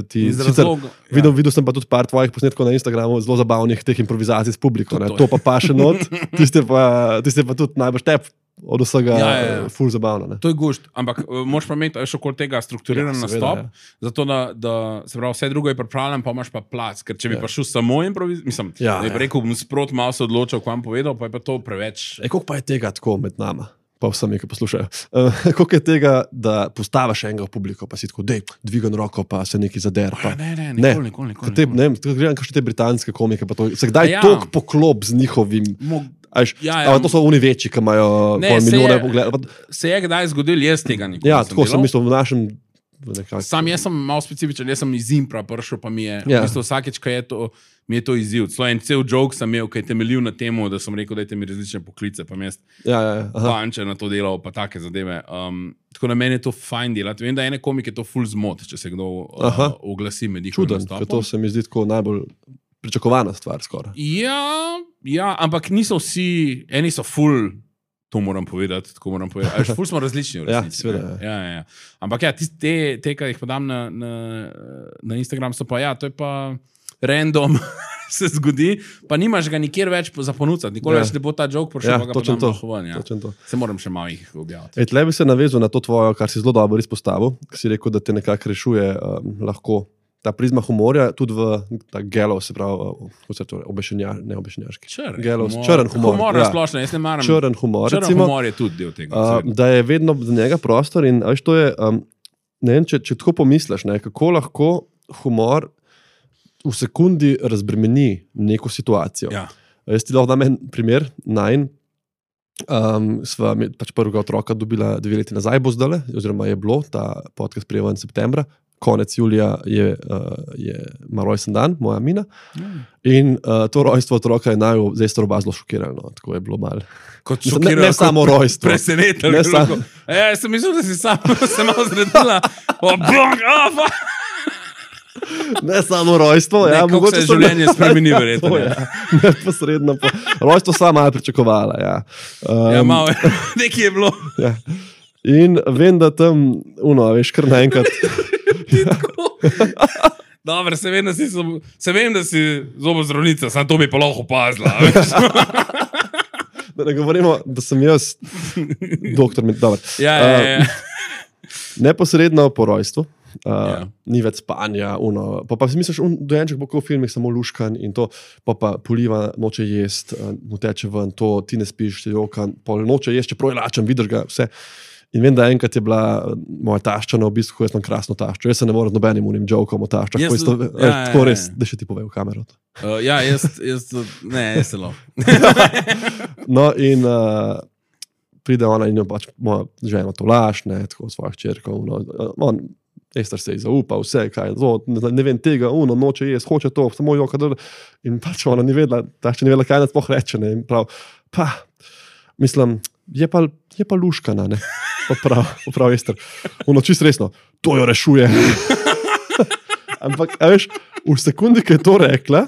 ti sicer, ja. videl, videl sem pa tudi par tvojih posnetkov na Instagramu, zelo zabavnih teh improvizacij s publiko, ne? To pa pa še not, tiste pa, tiste pa tudi najbolj štep od vsega ja, ja, ja. Ful zabavno. Ne? To je gušt, ampak uh, moraš pa imeti še okoli tega strukturiran ja, nastop, ja. Zato da, da se pravi, vse drugo je pripravljeno, pa imaš pa plac, ker če bi ja. Pa šel samo improviz, mislim, ja, da bi ja. Rekel, bom sprot malo se odločil, ko vam povedal, pa je pa to preveč. E, koliko pa je tega tako med nama? Pa vsemi, ki poslušajo. Uh, koliko je tega, da postaviš enega v publiko, pa si tako, dej, dvigan roko, pa se neki zader. Pa. Ne, ne, nikoli, nikoli, nikoli. Te, ne, gledam, kakšne te britanske komike, pa to, se kdaj ja. Tok poklop z njihovim... Mo Až, ja, ja. To so oni večji, ki imajo pol milijone pogledov. Se je kdaj zgodil, jaz tega nikoli ja, tako sem mislil v našem... Nekak... Sam jaz sem malo specifičen, jaz sem iz impra prišel, pa mi je ja. V bistvu vsakeč, kaj je to, mi je to izziv. Celo en cel joke sem imel, kaj je temeljil na temu, da sem rekel, dajte mi različne poklice, pa mi jaz ja, ja, banče na to delal, pa take zadeve. Um, tako na meni je to fajn delati. Vem, da ene komike to ful zmot, če se kdo uh, oglasi med njihovim nastopom. Čuden, ker to se mi zdi tako najbolj pričakovana stvar skoraj. Ja, ja, ampak niso vsi, eni so ful, to moram povedati, tako moram povedati. Až ful smo različni v resnici. Ja, seveda. Ja, ja, ja. Ampak ja, te, te ki jih podam na, na, na Instagram, so pa ja, to je pa random se zgodi, pa nimaš ga nikjer več za ponuditi. Nikoli ja. Več ne bo ta joke prišel, ja, pa ga podam to. Ven, ja. To. Se moram še malo jih objaviti. E, tle bi se navezal na to tvojo, kar si zelo dobro izpostavil, ki si rekel, da te nekako rešuje um, lahko ta prizma humorja, tudi v ta gelov, se pravi, kako se to obešenjar, ne obešenjarski. Črn gelov, humor. Črn humor. Humor ja. Splošno, jaz ne maram. Črn humor. Črn recimo, humor je tudi del tega. Uh, da je vedno za njega prostor in veš, to je, um, ne vem, če, če tako pomisliš, ne, kako lahko humor v sekundi razbremeni neko situacijo. Ja. Jaz ti lahko dam en primer, najn, um, sva pač prvega otroka dobila dve leti nazaj, bo zdale, oziroma je bilo, ta podcast prijeva in septembra, konec julija je, uh, je ima rojsten dan, moja Mina, mm. in uh, to rojstvo otroka je naj zdaj staroba zelo šokirano, tako je bilo malo. Kot šokirano, ne, ne samo rojstvo. Presenetno. Ne samo. Ja, jaz sem mislil, da si sam se malo zredila. Oh, blok, oh, ne samo rojstvo. Ne, ja, kako se življenje spremeni, verjetno. Ja, neposredno. Po, rojstvo sama malo pričakovala. Ja, um, ja malo, nekaj je bilo. Ja. In vem, da tam, uno, veš, kar naenkrat. Dobro, se vem, da si, se vem, da si zobozdravnica, samo to bi pa lahko opazila. Da ne govorimo, da sem jaz doktor. Dobar. Ja, ja, ja. Uh, neposredno po rojstvu. Uh, ja. Ni več spanja, uno. Pa, pa si misliš, un dojenček bo kot v filmih samo luškan in to, pa pa poliva, noče jest, uh, mu teče ven, to ti ne spiš, ti joka, pol noče jest, čeprav je lačen, vidiš ga, vse. In vem, da enkrat je bila moja tašča na obisku, jaz sem krasno taščo. Jaz se ne morem z nobenim unim jokom o taščah. Jaz, isto, ja, ja, tako res, da še ti povej v kamero. Uh, ja, jaz, jaz, ne, jaz se lo. No in uh, pride ona in jo pač moja žena to laž, ne, tako svojih čerkov. No, on, Ester se je zaupa, vse, kaj, zo, ne, ne vem tega, uno, noče jest, hoče to, samo joka, da, in pač ona ni vedela, tašča ni vedela, kaj nas poh reče, ne, in prav, pa, mislim, je pa, je pa luškana, ne, pa prav, pa prav Ester, uno, čist resno, to jo rešuje. Ampak, a veš, v sekundi, ki je to rekla,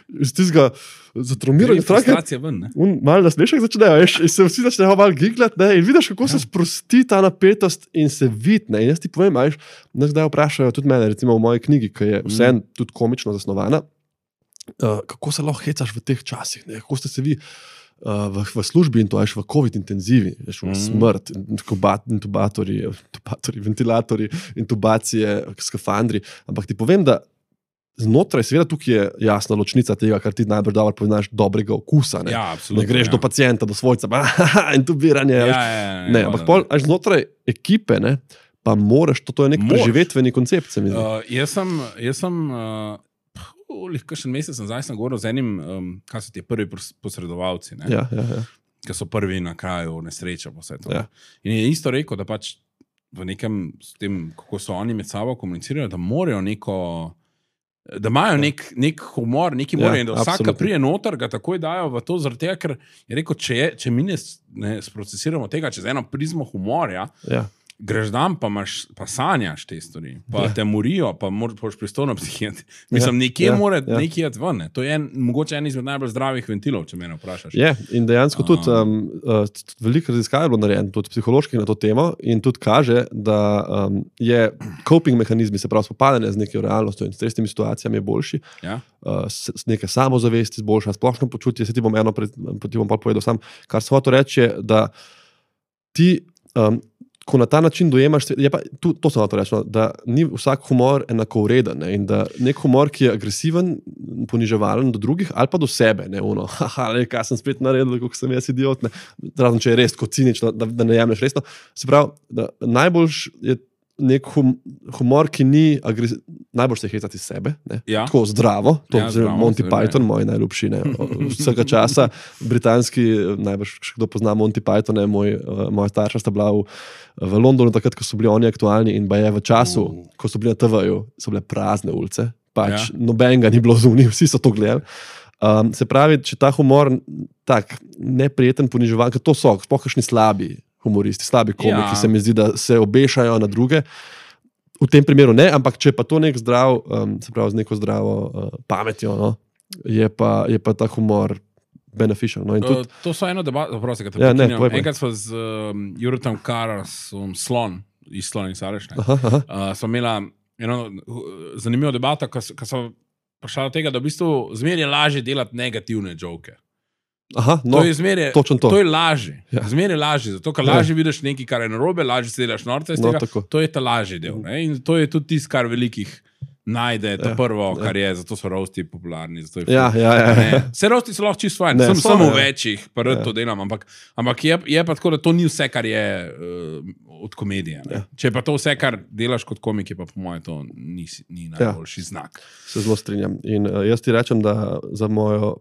iz tistega zatraumiranja frustracija ven, ne? Un, malo nasmešek začnejo, veš, in se vsi začnejo malo giglati, ne, in vidiš, kako ja. Se sprosti ta napetost in se vidi, ne, in jaz ti povem, a veš, nas kdaj vprašajo tudi mene, recimo v moji knjigi, ki je vseeno tudi komično zasnovana, uh, kako se lahko hecaš v teh časih, ne, kako ste se vi uh, v, v službi in to, veš, v covid intenzivi, veš, v smrt, intubatorji, intubatorji, ventilatorji, intubacije, skafandri, ampak ti povem, da znotraj, seveda tukaj je jasna ločnica tega, kar ti najbolj dobro poznaš dobrega okusa. Ne, ja, absolutno, ne greš ja. do pacienta, do svojca, intubiranje. Ja, ja, ja, ne, ampak pol, až znotraj ekipe, ne, pa moraš, to, to je nek Mož. preživetveni koncept. Se mi zdi. Uh, jaz sem, jaz sem uh, kakšen mesec nazaj sem govoril z enim, um, kaj so ti prvi posredovalci, ne, ja, ja, ja. ki so prvi na kraju nesreča. Ja. In je isto rekel, da pač v nekem, s tem, kako so oni med sabo komunicirajo, da morajo neko da imajo nek, nek humor, neki humor, ja, in da vsak, ki prije noter, ga takoj dajo v to, zaradi tega, ker je rekel, če, je, če mi ne, ne sprocesiramo tega, čez eno prizmo humorja, ja. greš dan, pa, imaš, pa sanjaš te stvari, pa ja. te morijo, pa moraš pristojno psihijati. Mislim, nekje ja, mora ja. nekje jeti ven. To je en, mogoče en izmed najbolj zdravih ventilov, če me vprašaš. Je, in dejansko um, tudi um, uh, veliko raziskav je bilo narejeno, tudi psiholoških na to temo, in tudi kaže, da um, je coping mehanizmi, se pravi spopadanje z neko realnostjo in stresnimi situacijami je boljši, ja. uh, s, s neke samozavesti izboljša, splošno počutje, se ti bom eno pred, ti bom pa povedal sam, kar sem hotel reči je, da ti um, ko na ta način dojemaš, je pa, tu, to sem hotel reči, no, da ni vsak humor enako vreden, ne, in da nek humor, ki je agresiven, poniževalen do drugih ali pa do sebe, ne, ono, haha, le, kaj sem spet naredil, kako sem jaz idiot, ne, razen če je res kot cinično, da, da ne jemlješ resno. Se pravi, da najboljš je nek hum, humor, ki ni agresiven, najbolj se hecati sebe, ne, ja. tako zdravo, to ja, je Monty zdravo, Python, moj najljubši, ne, vsega časa, britanski, najbolj še kdo pozna Monty Python, ne, moj, moja starša sta bila v v Londonu takrat, ko so bili oni aktualni in ba je v času, uh. ko so bili na T V-ju, so bile prazne ulice, pač ja. nobenega ni bilo zunaj, vsi so to gledali. Um, se pravi, če ta humor tak neprijeten, poniževan, ker to so sploh kakšni slabi humoristi, slabi komiki, ja. se mi zdi, da se obešajo na druge, v tem primeru ne, ampak če pa to nek zdrav, um, se pravi z neko zdravo uh, pametjo, no, je, pa, je pa ta humor beneficial. No, in tudi... uh, to so eno debato, prosim, kad te ja, pokinjam. Enkrat smo z um, Juretom Karasom, Slon, iz Slon in Sarešne, uh, smo imela eno zanimivo debato, ko so prišla do tega, da v bistvu zmer je lažje delati negativne joke. Aha, no, to je zmerje, točno to. To je lažje. Ja. Zmer je lažje, zato ker lažje ja. vidiš nekaj, kar je narobe, lažje se delaš norce iz no, tega, tako. To je ta lažji del. Ne? In to je tudi tisto, kar velikih najde, to ja, prvo, kar ja. je, zato so roasti popularni. Zato je ja, ja, ja, ja. Se roasti so lahko čisto fajn, sem samo v večjih, pa rad ja. to delam, ampak, ampak je, je pa tako, da to ni vse, kar je uh, od komedije. Ja. Če je pa to vse, kar delaš kot komik, je pa po mojem to ni, ni najboljši ja. znak. Se zelo strinjam. In uh, jaz ti rečem, da za mojo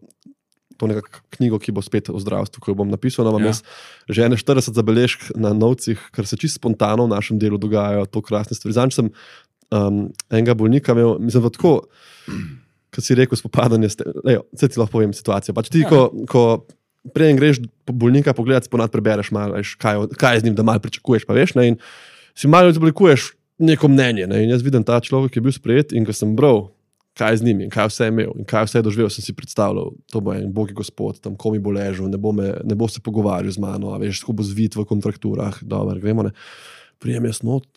to nekako knjigo, ki bo spet o zdravstvu, ko jo bom napisal, imam ja. jaz že ene štirideset zabeležk na novcih, ker se čisto spontano v našem delu dogajajo to krasne stvari. Zanj sem Um, enega bolnika imel, mislim, da tako, kot si rekel, spopadanje, vse ti lahko povem situacijo. Pač ti, ja. ko, ko preden greš bolnika pogledati, ponad prebereš malo, veš, kaj, kaj je z njim, da malo pričakuješ, pa veš, ne, in si malo izoblikuješ neko mnenje, ne, in jaz vidim ta človek, ki je bil sprejet in ko sem bral, kaj je z njim in kaj vse je imel in kaj vse je doživel, sem si predstavljal, to bo en bogi gospod, tam komi bo ležal, ne bo, me, ne bo se pogovarjal z mano, a veš, tako bo zvit v kontrakturah, dobro, gremo, ne, prijem jaz not,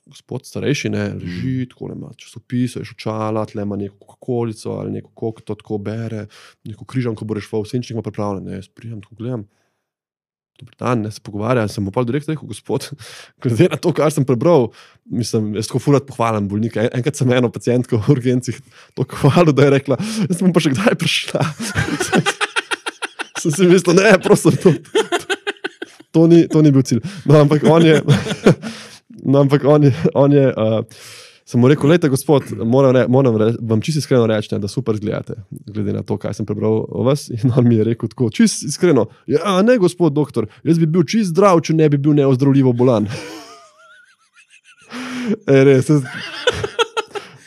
gospod starejši, ne, leži, tako ne ima časopise, očala, tle ima neko kokolico ali neko kok, to tako bere, neko križanko bo rešval, vsenčnik ima pripravljen, ne, jaz prijem, tako gledam, dober dan, ne, se pogovarja, sem mu pa direkt rekel, gospod, glede na to, kar sem prebral, mislim, jaz tako furat pohvalim bolnika, en, enkrat sem eno pacientko v urgencih to hvalil, da je rekla, jaz sem pa še kdaj prišla. Sem si mislil, ne, prosim, to, to, ni, to ni bil cilj. No, ampak on je... No, ampak on je, on je uh, sem mu rekel, lejte, gospod, moram, re, moram re, vam čisto iskreno reči, ne, da super izgledate, glede na to, kaj sem prebral o vas. In on mi je rekel tako, čisto iskreno, ja, ne, gospod doktor, jaz bi bil čisto zdrav, če ne bi bil neozdravljivo bolan. E, res,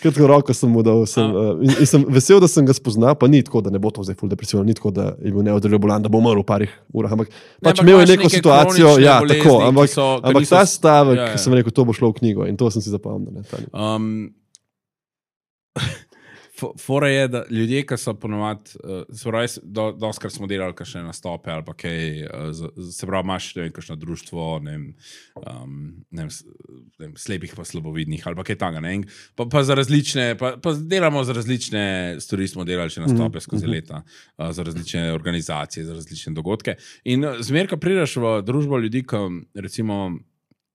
kratko roko sem mu dal, sem, uh, in, in sem vesel, da sem ga spoznal, pa ni tako, da ne bo to zdaj ful depresivno, ni tako, da je bil neozdravljivo bolan, da bo umrl v parih urah, ampak ne, pač imel je neko situacijo, ja, bolezni, tako, ampak, so, ampak ta stavek, ja, ja. sem rekel, to bo šlo v knjigo in to sem si zapomnil. Um, Fora je, da ljudje, ki so ponovadi, uh, do, doskrat smo delali kakšne nastope ali pa kaj, uh, se pravi, imaš kakšno društvo, ne vem, um, ne vem, ne vem, slepih pa slabovidnih ali pa kaj tega, ne, pa, pa za različne, pa, pa delamo za različne stvari, smo delali še nastope mm-hmm. skozi leta, uh, za različne organizacije, za različne dogodke. In zmer, ko prideš v družbo ljudi, ki recimo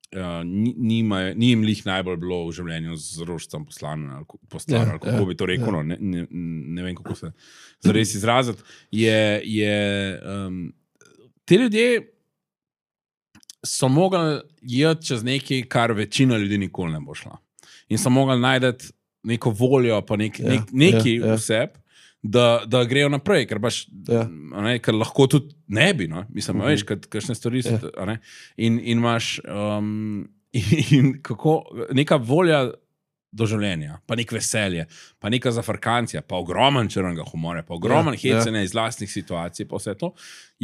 Uh, ni, nima, ni jim lih najbolj bilo v življenju z rožcem poslan ali poslan, ja, ali kako ja, bi to rekel, ja. no, ne, ne, ne vem, kako se zares izraziti, je, je um, te ljudje so mogli jeti čez nekaj, kar večina ljudi nikoli ne bo šla. In so mogli najdeti neko voljo, pa nek, ja, nek, neki ja, ja. vseb, da, da grejo naprej, ker, baš, ja. ne, ker lahko tudi ne bi, no? Mislim, uh-huh. veš, kakšne stvari so, ja. ne? In, in imaš um, in, in kako, neka volja do življenja, pa nek veselje, pa neka zafrkancija, pa ogromen črnega humorja, pa ogromen ja, hecanja ja. iz lastnih situacij, pa vse to,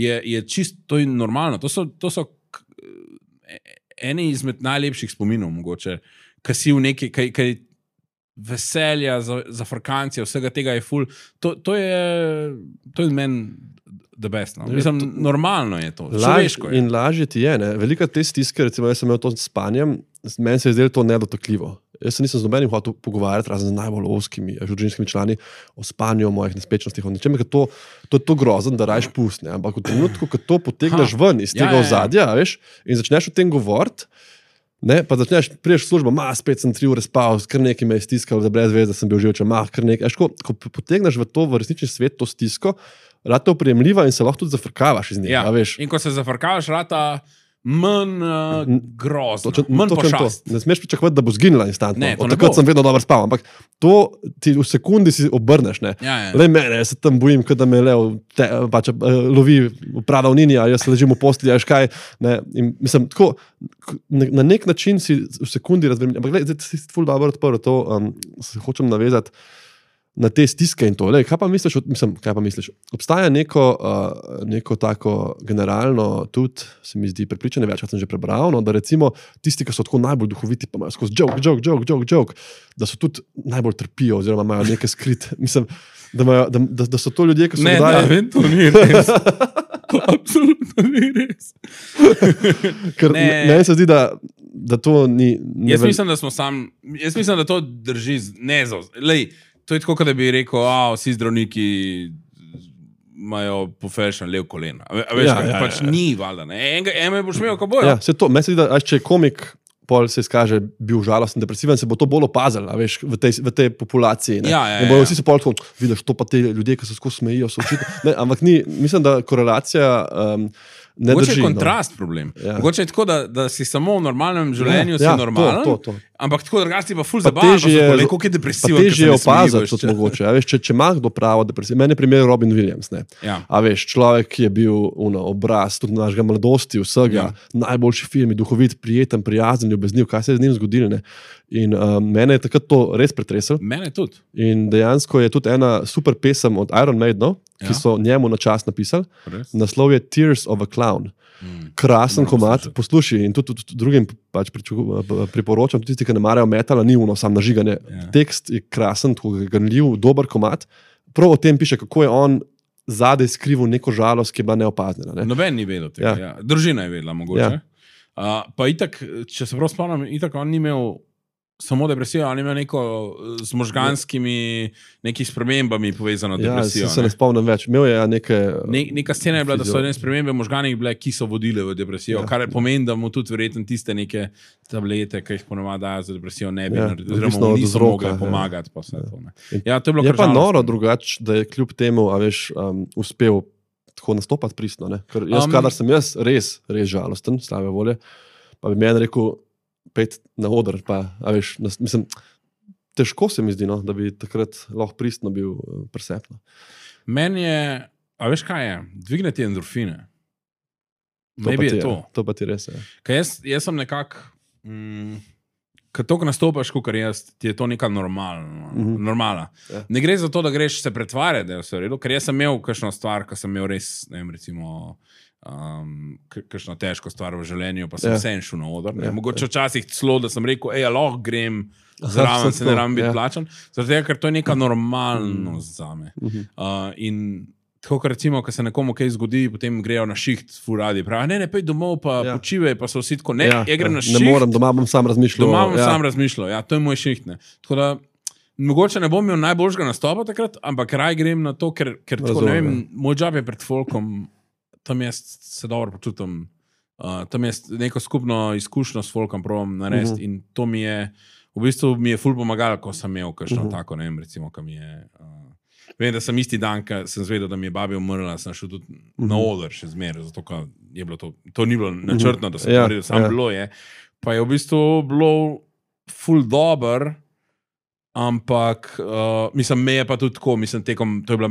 je, je čisto, to je normalno. To so, to so eni izmed najlepših spominov, mogoče, ki si v neki, kaj veselja, zafrkancija, vsega tega je ful. To, to je, to je meni the best. No? Mislim, to, normalno je to, človeško je. In lažje ti je, ne? Velika te stiske, recimo, jaz sem imel to s spanjem, meni se je zdelo to nedotakljivo. Jaz se nisem z nobenim hotel pogovarjati, razen z najbolj oskimi družinskimi člani o spanju, o mojih nespečnostih, o nečem, ker to, to je to grozen, da rajš pust, ne? Ampak v trenutku, ko to potegneš ha. ven iz tega ja, ja, ja. ozadja, veš, in začneš o tem govoriti, ne, pa začneš, priješ v službo, ma, spet sem tri ure spal, kar nekaj me je stiskalo, da brez veze sem bil živčen, ma, kar nekaj. Ko, ko potegneš v to, v resnični svet, to stisko, rata je oprijemljiva in se lahko tudi zafrkavaš iz njega, ja. veš. In ko se zafrkavaš, rata manj uh, grozno, to, manj pošast. Ne smeš pričakovati, da bo zginila instantno. Ne, to ne takrat bo. sem vedno dobro spal, ampak to ti v sekundi si obrneš, ne. Ja, ja. Lej mene, jaz se tam bojim, da me lev te, pač, lovi v pradavnini, a jaz ležim v postelji, a škaj, ne. In, mislim, tako, na nek način si v sekundi razbremenjen. Ampak gled, zdaj si ful dobro odprl to, um, se hočem navezati na te stiske in to. Lej, kaj pa misliš, mislim, kaj pa misliš? Obstaja neko, uh, neko tako generalno, tudi se mi zdi prepričanje, večkrat sem že prebral, no, da recimo tisti, ki so tako najbolj duhoviti, pa imajo skozi joke, joke, joke, joke, joke, da so tudi najbolj trpijo, oziroma imajo nekaj skrit. Mislim, da, imajo, da, da, da so to ljudje, ki so ne, dodali... Ne, ne, to ni res. To absolutno ni res. Ker meni se zdi, da, da to ni... ni jaz mislim, da smo sam... Jaz mislim, da to drži ne za... Lej, to je tako, da bi rekel, a vsi zdravniki imajo profession lev kolena. A veš, ja, ja, pač ja, ja. ni valjda, ne? Eme boš imel, ko bojo. Ja, se to, meni se zdi, da če je komik pol se izkaže bil žalosten, depresiven, se bo to bolj opazil, a veš, v tej, v tej populaciji. Ne? Ja, ja, in bojo ja. vsi se pol tako, vidiš, to pa te ljudje, ki se skozi smejijo, so očitno. Ne, ampak ni, mislim, da korelacija um, ne Mogoče drži. je kontrast no. problem. Ja. Mogoče je tako, da, da si samo v normalnem življenju ja, si ja, normalen, to, to, to. ampak tako drugače si pa ful zabavan, pa je, koliko je depresiven. Pa težje je opazati, tudi mogoče. A veš, če, če ima kdo pravo depresijo, meni je primer Robin Williams. Ne? Ja. A veš, človek, ki je bil uno, obraz tudi našega mladosti, vsega, ja. najboljši film, duhovit, prijeten, prijazen, ljubezniv, kaj se je z njim zgodilo. Ne? In um, mene je takrat to res pretresel. Mene tudi. In dejansko je tudi ena super pesem od Iron Maiden, ja. ki so njemu na čas napisali. Res? Naslov je Tears of a Clown. Hmm. Krasen komat, poslušaj, in tudi, tudi drugim pač priporočam, tudi tisti, ki ne marajo metala, ni uno sam nažiganje. Yeah. Tekst je krasen, ganljiv, dober komat. Prav o tem piše, kako je on zadaj skrival neko žalost, ki je bila neopaznjena. Ne? Noben ni vedel tega. Ja. Ja. Družina je vedela, mogoče. Ja. Uh, pa itak, če se prav spomnim, itak on ni imel samo depresijo, ali ima neko z možganskimi nekih spremembami povezano depresijo. Ja, se ne, ne spomnim več. Imel je neke... Ne, neka scena je bila, da so ene spremembe možganih bile, ki so vodile v depresijo, ja. kar pomeni, da mu tudi verjetno tiste neke tablete, ki jih ponovadi dajo za depresijo, ne bi ja, naredili, oziroma mu niso mogli pomagati. Pa vse ja. to, ne. Ja, to je bilo je pa noro drugače, da je kljub temu, a veš, um, uspel tako nastopati pristno. Ne? Ker jaz, um, kadar sem jaz res, res žalosten, slave volje, pa bi meni rekel, pet na oder, pa, a veš, nas, mislim, težko se mi zdi, no, da bi takrat lahko pristno bil presepno. Meni je, a veš kaj je, dvigneti endorfine. To pa, ti, je to. to pa ti res je. Kaj jaz, jaz sem nekako, mm, kad toliko nastopaš, kot jaz, ti je to neka normalna. Mm-hmm. normala. Ja. Ne gre za to, da greš se pretvarjati, da je vse v redu, ker jaz sem imel kakšno stvar, ko sem imel res, ne vem, recimo, Um, kakšno težko stvar v življenju, pa sem yeah. vse šel na oder. Yeah. Mogoče včasih celo, da sem rekel, ej, lahko grem zraven, se ne rabim biti yeah. plačan. Zato je, ker to je neka normalnost zame. Mm-hmm. Uh, in tako, ker recimo, ko se nekomu kaj zgodi, potem grejo na šiht, ful radi, pravi, ne, ne, pej domov, pa yeah. počivaj, pa so vsi tako, ne, yeah. ja grem na šiht. Ne morem, doma bom sam razmišljal. Doma bom ja. sam razmišljal, ja, to je moj šiht, ne. Tako da, mogoče ne bom imel najboljšega nastopa takrat, ampak raj grem na to, ker, ker tako, ne vem, moj job je pred folkom, tam jaz se dobro počutim, uh, tam jaz neko skupno izkušnjo s folkom probam narediti uh-huh. in to mi je, v bistvu mi je ful pomagalo, ko sem imel kakšno uh-huh. tako, ne vem, recimo, ko mi je, uh, vem, da sem isti dan, ko sem zvedel, da mi je babi umrla, sem šel tudi uh-huh. na oder še zmeraj, zato, ko je bilo to, to ni bilo načrtno, da sem uh-huh. naredil, sam ja. bilo je, pa je v bistvu bilo ful dober, ampak, uh, mislim, me je pa tudi tako, mislim, tekom, to je bila,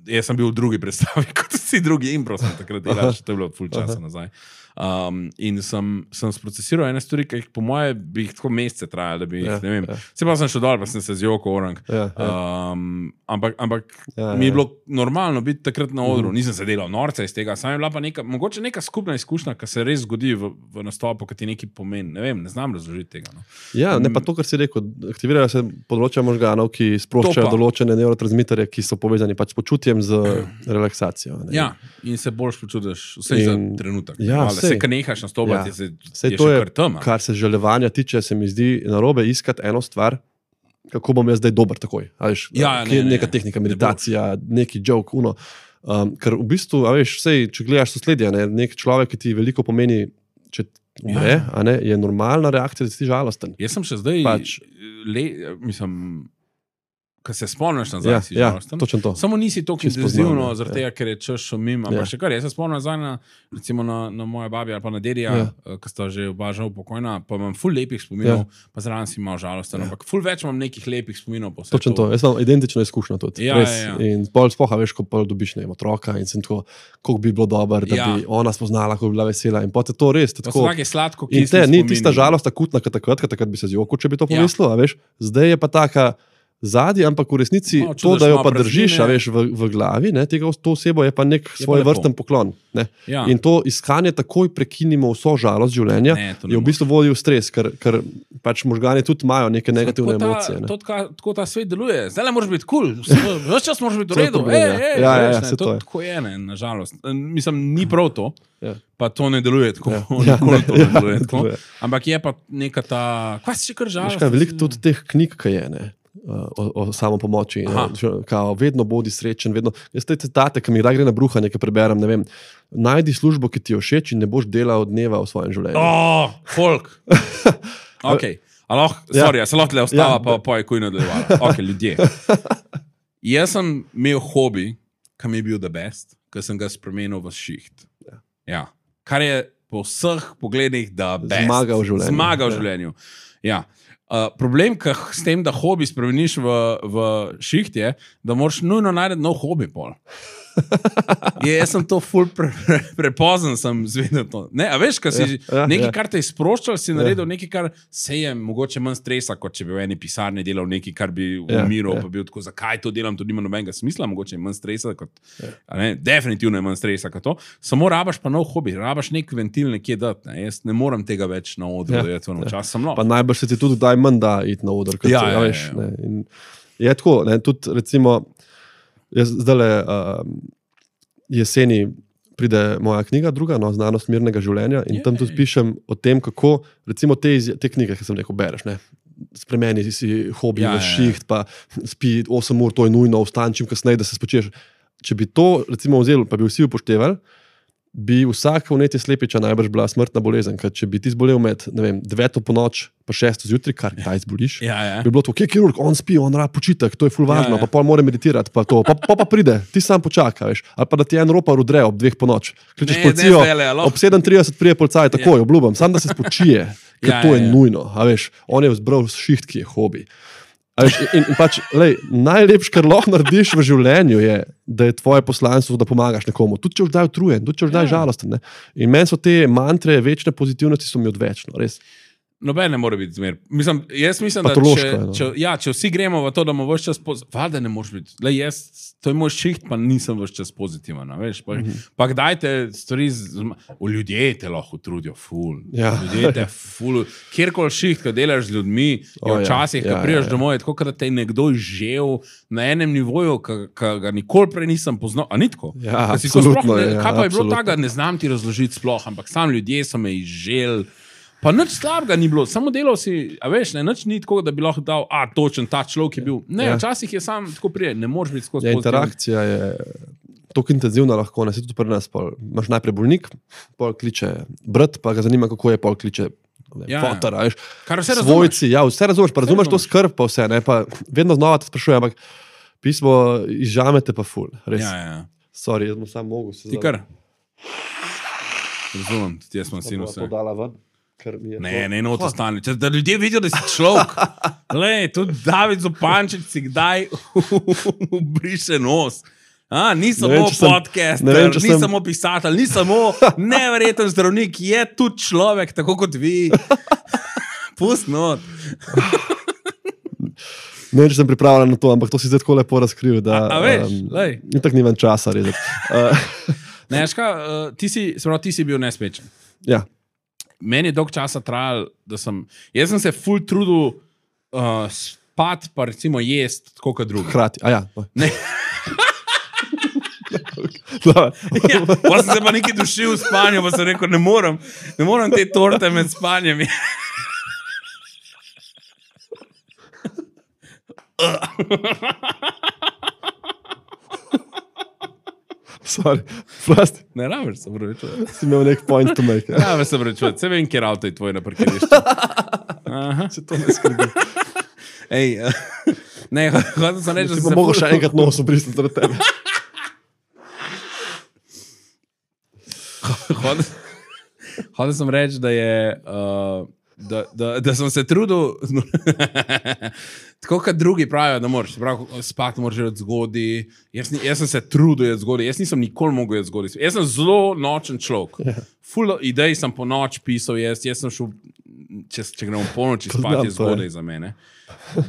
jaz sem bil v drugi predstavi, kot vsi drugi impro sem takrat delal, to je bilo ful časa nazaj. Um, in sem, sem sprocesiral ene stvari, ki jih po moje bi jih tako mesece trajali, da bi jih, Ja, ne vem. ja. Se pa sem šel dol, pa sem se zjokal orang. Ja, ja. Um, ampak ampak Ja, mi je ja. bilo normalno biti takrat na odru. Nisem se delal norca iz tega, sam je bila pa neka, mogoče neka skupna izkušnja, ki se res zgodi v, v nastopu, ki ti nekaj pomeni. Ne vem, ne znam razložiti tega. No. Ja, ne pa to, kar si rekel, aktivirajo se področja možganov, ki sproščajo določene nevrotransmiterje, ki so povezani pač s počutjem, z relaksacijo. Ne. Ja, in se boljš počutiš, vse in, za trenutek. Ja, se, ka nehaš nastopati, ja. se, Sej je to še je, kar tema. kar se želevanja tiče, se mi zdi narobe iskati eno stvar, kako bom jaz zdaj dober takoj. Veš, Ja, ne, ne, neka tehnika, meditacija, ne neki joke, uno. Um, ker v bistvu, a veš, sej, če gledaš sosledje, ne, nek človek, ki ti veliko pomeni, če umre, Ja. a ne, je normalna reakcija, da si ti žalosten. Jaz sem še zdaj, Pač. le, mislim, ko se spomniš nazaj, Ja, si ja, žalosten. točno to. Samo nisi tako Čisto intenzivno, poznam, ja. zaradi tega, ker je čas šumim. Ampak Ja. še kar, jaz se spomnim nazaj na, recimo na, na moje babi ali pa na dedija, Ja. ja. ki sta že oba žal pokojna, pa imam ful lepih spominov, Ja. pa zraven si malo žalosten. Ja. Ampak ful več imam nekih lepih spominov. Pa vse Točno to. Jaz imam identično izkušnjo tudi. Ja, Res. ja, ja. In pol spoha, veš, ko pol dobiš ne vem, otroka in sem tako, koliko bi bilo dobro, da Ja. bi ona spoznala, kako bi bila vesela. In potem to res. To so Tako, take sladko in kisli te, ni spomini. tista žalost akutna, kot takrat, ker takrat bi se zjokal, če bi to Ja. pomislil, a veš. Zdaj je pa taka zadnji, ampak v resnici Malo to, čutiš da jo malo pa držiš, a praznine. veš, v, v glavi, ne, tega, to osebo je pa nek pa svoj lepo. vrsten poklon. Ne. Ja. In to iskanje takoj prekinimo vso žalost življenja, Ne, to ne je v bistvu vodi v stres, ker, ker pač možgani tudi imajo neke negativne Tako ta, emocije. Ne. to, taka, tako ta svet deluje. Zdaj le moraš biti kul, cool. Ves čas moraš biti v To je redu. problem, Ej, ja. ej, Ja, ja, veš, ja, ne, saj to to je. tako je, ne, nažalost. Mislim, ni prav to, Ja. pa to ne deluje tako. Ja. Ja. Ja, Nikoli ne, to ne ja, deluje ne tako. deluje. Ampak je pa neka ta, kaj si še kar Veš žalost? kaj, veliko tudi teh knjig, ki je, ne, o, o samopomoči, Aha. ne, kao, vedno bodi srečen, vedno. Jaz te citate, ki mi kdaj gre na bruha, nekaj preberem, ne vem, najdi službo, ki ti jo všeč in ne boš delal dneva v svojem življenju. Oh, folk. Ok, aloh, Ja. sorry, ja. se lahko le ostava, Ja. ja. pa pa je kuj nadaljevala. Ok, ljudje. Jaz sem imel hobi, ki mi je bil the best, ki sem ga spremenil v šiht. Ja. Ja. Kar je po vseh pogledih the best. Zmaga v življenju. Zmaga v Ja. življenju. Ja. Uh, problem, ki s tem, da hobi spremeniš v, v šiht, je, da moraš nujno najti nov hobi pol. Je, jaz sem to ful pre, pre, prepozen, sem zvedel to. Ne, a veš, kaj si Ja, ja, nekaj, ja. kar te je sproščal, si naredil nekaj, kar se je mogoče manj stresa, kot če bi v eni pisarni delal nekaj, kar bi Ja, umiral, ja. pa bil tako, zakaj to delam, to nima nobenega smisla, mogoče je manj stresa, kot, Ja. a ne, definitivno je manj stresa kot to. Samo rabaš pa nov hobi, rabaš nek ventil nekje dati. Ne. Jaz ne morem tega več na odru, Ja, da je to ja. včasih sem Pa nov. najbrž se ti tudi kdaj manj da iti na oder, kot Ja, se, ja, a veš. ja, ja. Ne, in je tako, ne, tudi recimo, jaz zdajle uh, jeseni pride moja knjiga, druga, no, Znanost mirnega življenja, in tam tudi Jej. pišem o tem, kako recimo te, izja- te knjige, ki sem rekel, bereš, ne, spremeni si hobi Ja, v ja, ja. šiht, pa spi osem ur, to je nujno, vstan čim kasneje, da se spočiješ. Če bi to recimo vzeli, pa bi vsi upoštevali, bi vsak vnetje slepiča najbrž bila smrtna bolezen, ker če bi ti zbolel med, ne vem, deveto po noč, pa šesto zjutraj, kar kdaj zboliš, Ja, ja. bi bilo to, kje je kirurg, on spi, on rab počitek, to je ful važno, Ja, ja. pa pol mora meditirati, pa to, pa, pa, pa pride, ti sam počaka, veš, ali pa da ti en ropar udre ob dveh po noč, kličeš Ne, policijo, ne zdajle, alo. ob sedem trideset prije policaj, takoj, obljubam, sam da se spočije, ker Ja, to ja, je ja. nujno, a veš, on je vzbral šiht, ki je hobi. A veš, in, in pač, lej, najlepše, kar lahko narediš v življenju, je, da je tvoje poslanstvo, da pomagaš nekomu. Tudi če boš zdaj utrujen, tudi če boš zdaj Ja. žalosten. Ne? In meni so te mantre večne pozitivnosti, so mi odvečno, res. Noben ne more biti zmer. Mislim, jaz mislim, da Patološko če, je, no. če, ja, če vsi gremo v to, da bomo vse čas pozitivni, valjda ne moreš biti. Lej, jaz, to je moj šiht, pa nisem vse čas pozitiven. a Veš, pa, Mhm. mm-hmm. pa kdaj te stvari, zma- v ljudje te lahko trudijo, ful. Ja. Ljudje te ful. Kjerkoli šiht, ko delaš z ljudmi, O, je ja. včasih, ko Ja, prideš ja, ja. domov, je tako, kot da te je nekdo žel na enem nivoju, ki ga nikoli prej nisem poznal. A ni tako? Ja, Ko si tako absolutno sploh ne- je, ja, Kaj pa je bilo absolutno. tako, ne znam ti razložiti sploh, ampak sam ljudje so me izžel. Pa nič slabega ni bilo, samo delal si, a veš, ne, nič ni tako, da bi lahko dal, a točen ta človek je bil. Ne, Ja. včasih je sam tako prije, ne moreš biti skozi Ja, pozitiven. interakcija je tako intenzivna, lahko ne, se tudi pri nas. Pol. Imaš najprej bolnik, pol kliče brat, pa ga zanima, kako je, pol kliče Ja, ja. fotor, a veš, Kar vse razumeš. svojci, ja, vse razumeš, pa razumeš to razumeš. skrb, pa vse, ne, pa vedno znova te sprašujem, ampak pismo izžamete pa ful, res. Ja, ja. Sorry, jaz bom sam mogel se Ti kar. Razumem, tudi jaz sem sin bom vse. podala ven, ker mi je Ne, to- ne, not ostane. Če da ljudje vidijo, da si človek. Lej, tudi David Zupančič si kdaj briše nos. A, ni samo podcaster, ni sem... samo pisatelj, ni samo neverjeten zdravnik, je tudi človek, tako kot vi. Pust not. Ne vem, če sem pripravljen na to, ampak to si zdaj tako lepo razkril, da a, a veš, um, in tako nimam časa rezati. Uh, ne, ška, uh, ti, si, sprav, ti si bil nespečen. Ja. Meni je dolg časa trajal, da sem, jaz sem se ful trudil uh, spat, pa recimo jest, tako kot drugi. Hrati, a ja. Ne. ja, pa sem se pa nekaj dušil v spanju, pa sem rekel, ne morem, ne morem te torte med spanjem. Sorry, prosti. Ne rabiš, se pravičujem. Si imel nek point to make. Ja, ja se pravičujem. Se vem, kjer avto je tvoj na parkirišču. Aha. Se to ne skrbi. Ej, ne, hotel sem reči, da si pa mogo še enkrat nos obrisniti od tebe. Hotel sem reči, da je... Uh, Da, da, da sem se trudil, tako kot drugi pravijo, da moraš, prav, spati moraš od zgodi. Jaz, jaz sem se trudil od zgodi, jaz nisem nikoli mogel od zgodi. Jaz sem zelo nočen človek. Yeah. Full idej sem po noč pisal, jaz, jaz sem šel, če, če gremo po noči spati, je zgodaj za mene.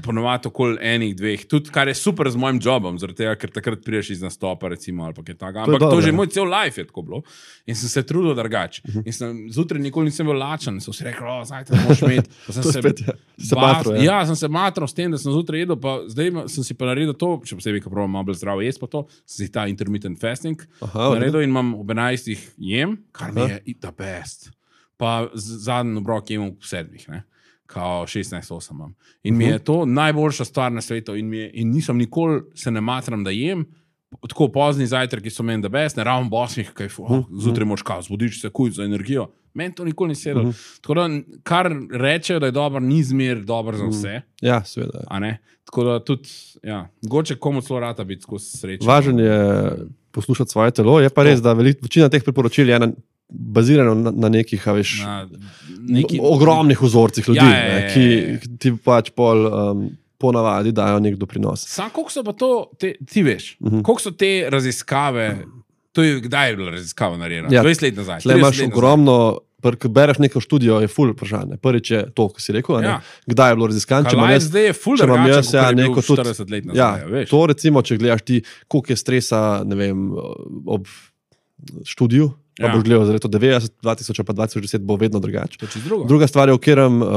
Ponovati okoli enih, dveh, tudi kar je super z mojim jobom, zaradi tega, ker takrat prideš iz nastopa, recimo, ali pa kaj taka. Ampak to, to že moj cel life je tako bilo. In sem se trudil drugače. Uh -huh. In sem zjutraj nikoli nisem bil lačen, sem si rekel, o, zajtraj moraš imeti. Sem se spet, ja. Se bas, matro, ja. ja, sem se matral s tem, da sem zjutraj jedel, pa zdaj sem si pa naredil to, še posebej, ko probam malo bolj zdravo jesti pa to, sem si ta intermittent fasting Aha, naredil in imam ob enajstih jem, kar mi je the best. Pa zadnji obrok jem ob sedmih, ne. Kao šestnajst osem imam. In uh -huh. mi je to najboljša stvar na svetu in, mi je, in nisem nikoli se ne matram, da jem. Tako pozni zajtrki so meni da best, ne ravno bosmih, kaj fu, oh, zjutraj moraš kao, zbudiš se kuj za energijo. Meni to nikoli ni sedel. Uh -huh. Tako da, kar rečejo, da je dober, ni zmer dober za vse. Ja, seveda. A ne? Tako da tudi, ja, goče komu celo rata biti skozi srečo. Važen je poslušati svoje telo, je pa res, da velik, večina teh priporočil je na bazirano na, na nekih, a veš, na neki, ogromnih vzorcih ljudi, ja, je, ne, ki ti pač pol um, ponavadi dajo nek doprinos. Sam, koliko so pa to, te, ti veš, uh -huh. koliko so te raziskave, to je, kdaj je bila raziskava narejena? Ja, dvajset let nazaj. Tle imaš ogromno, ko bereš neko študijo, je ful vprašanje. Prvič je to, ko si rekel, ja. Kdaj je bilo raziskan. Kaj zdaj je ful drugače, kot je bil štirideset let nazaj, ja, veš. To recimo, če gledaš ti, koliko je stresa, ne vem, ob študiju, pa ja. boš gledal za leto devetdeset, dva tisoč pa dva tisoč deset bo vedno drugače. Druga stvar je, v katerem, uh,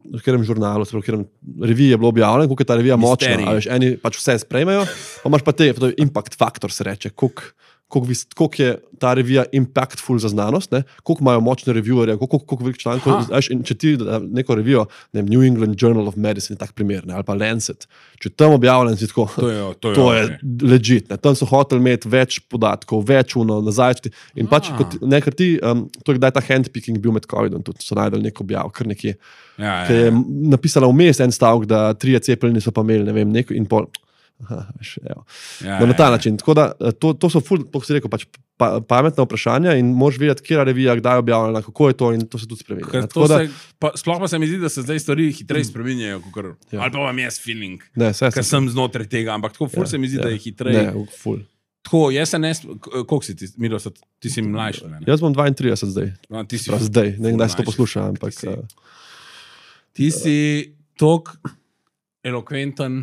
v katerem žurnalu, v katerem reviji je bilo objavljeno, koliko je ta revija močna. Veš, eni pač vse sprejmejo, pa imaš pa te, to je impact faktor, se reče, koliko, koliko, koliko je ta revija impactful za znanost, ne? Koliko imajo močne reviewerje, koliko, koliko velik člankov. In če ti neko revijo, ne, New England Journal of Medicine, tak primer, ne? Ali pa Lancet, če tam objavljen si tako, to je, to je, to je legit. Ne? Tam so hoteli imeti več podatkov, več uno nazaj. In pač, kot, ne, ker ti, um, to je kdaj ta handpicking bil med covidom, tudi so najdeli nek objav, kar nekje, ja, ki je napisala vmes en stavek, da trije cepljeni so pa imeli, ne vem, neko in pol. Aha, veš, ja, no, na ta ja, način. Tako da, to, to so ful, kako si rekel, pač pa, pametna vprašanja in moraš vedeti, kjera revija, kdaj je objavljena, kako je to in to se tudi spremenja. Sploh pa se mi zdi, da se zdaj stvari hitreje spremenjajo, ja. Ali pa vam jaz feeling, ne, se, ker sem znotraj tega, ampak tako ful ja, se mi zdi, ja, da je hitreje. Ne, ful. Tako, jaz se ne, koliko si ti, Miro, ti si mlajši? Ne? Jaz bom dvaintrideset zdaj. No, ti si Prav, zdaj, ne vem, kdaj se to posluša, ampak... Ti si, uh... ti si tok elokventen,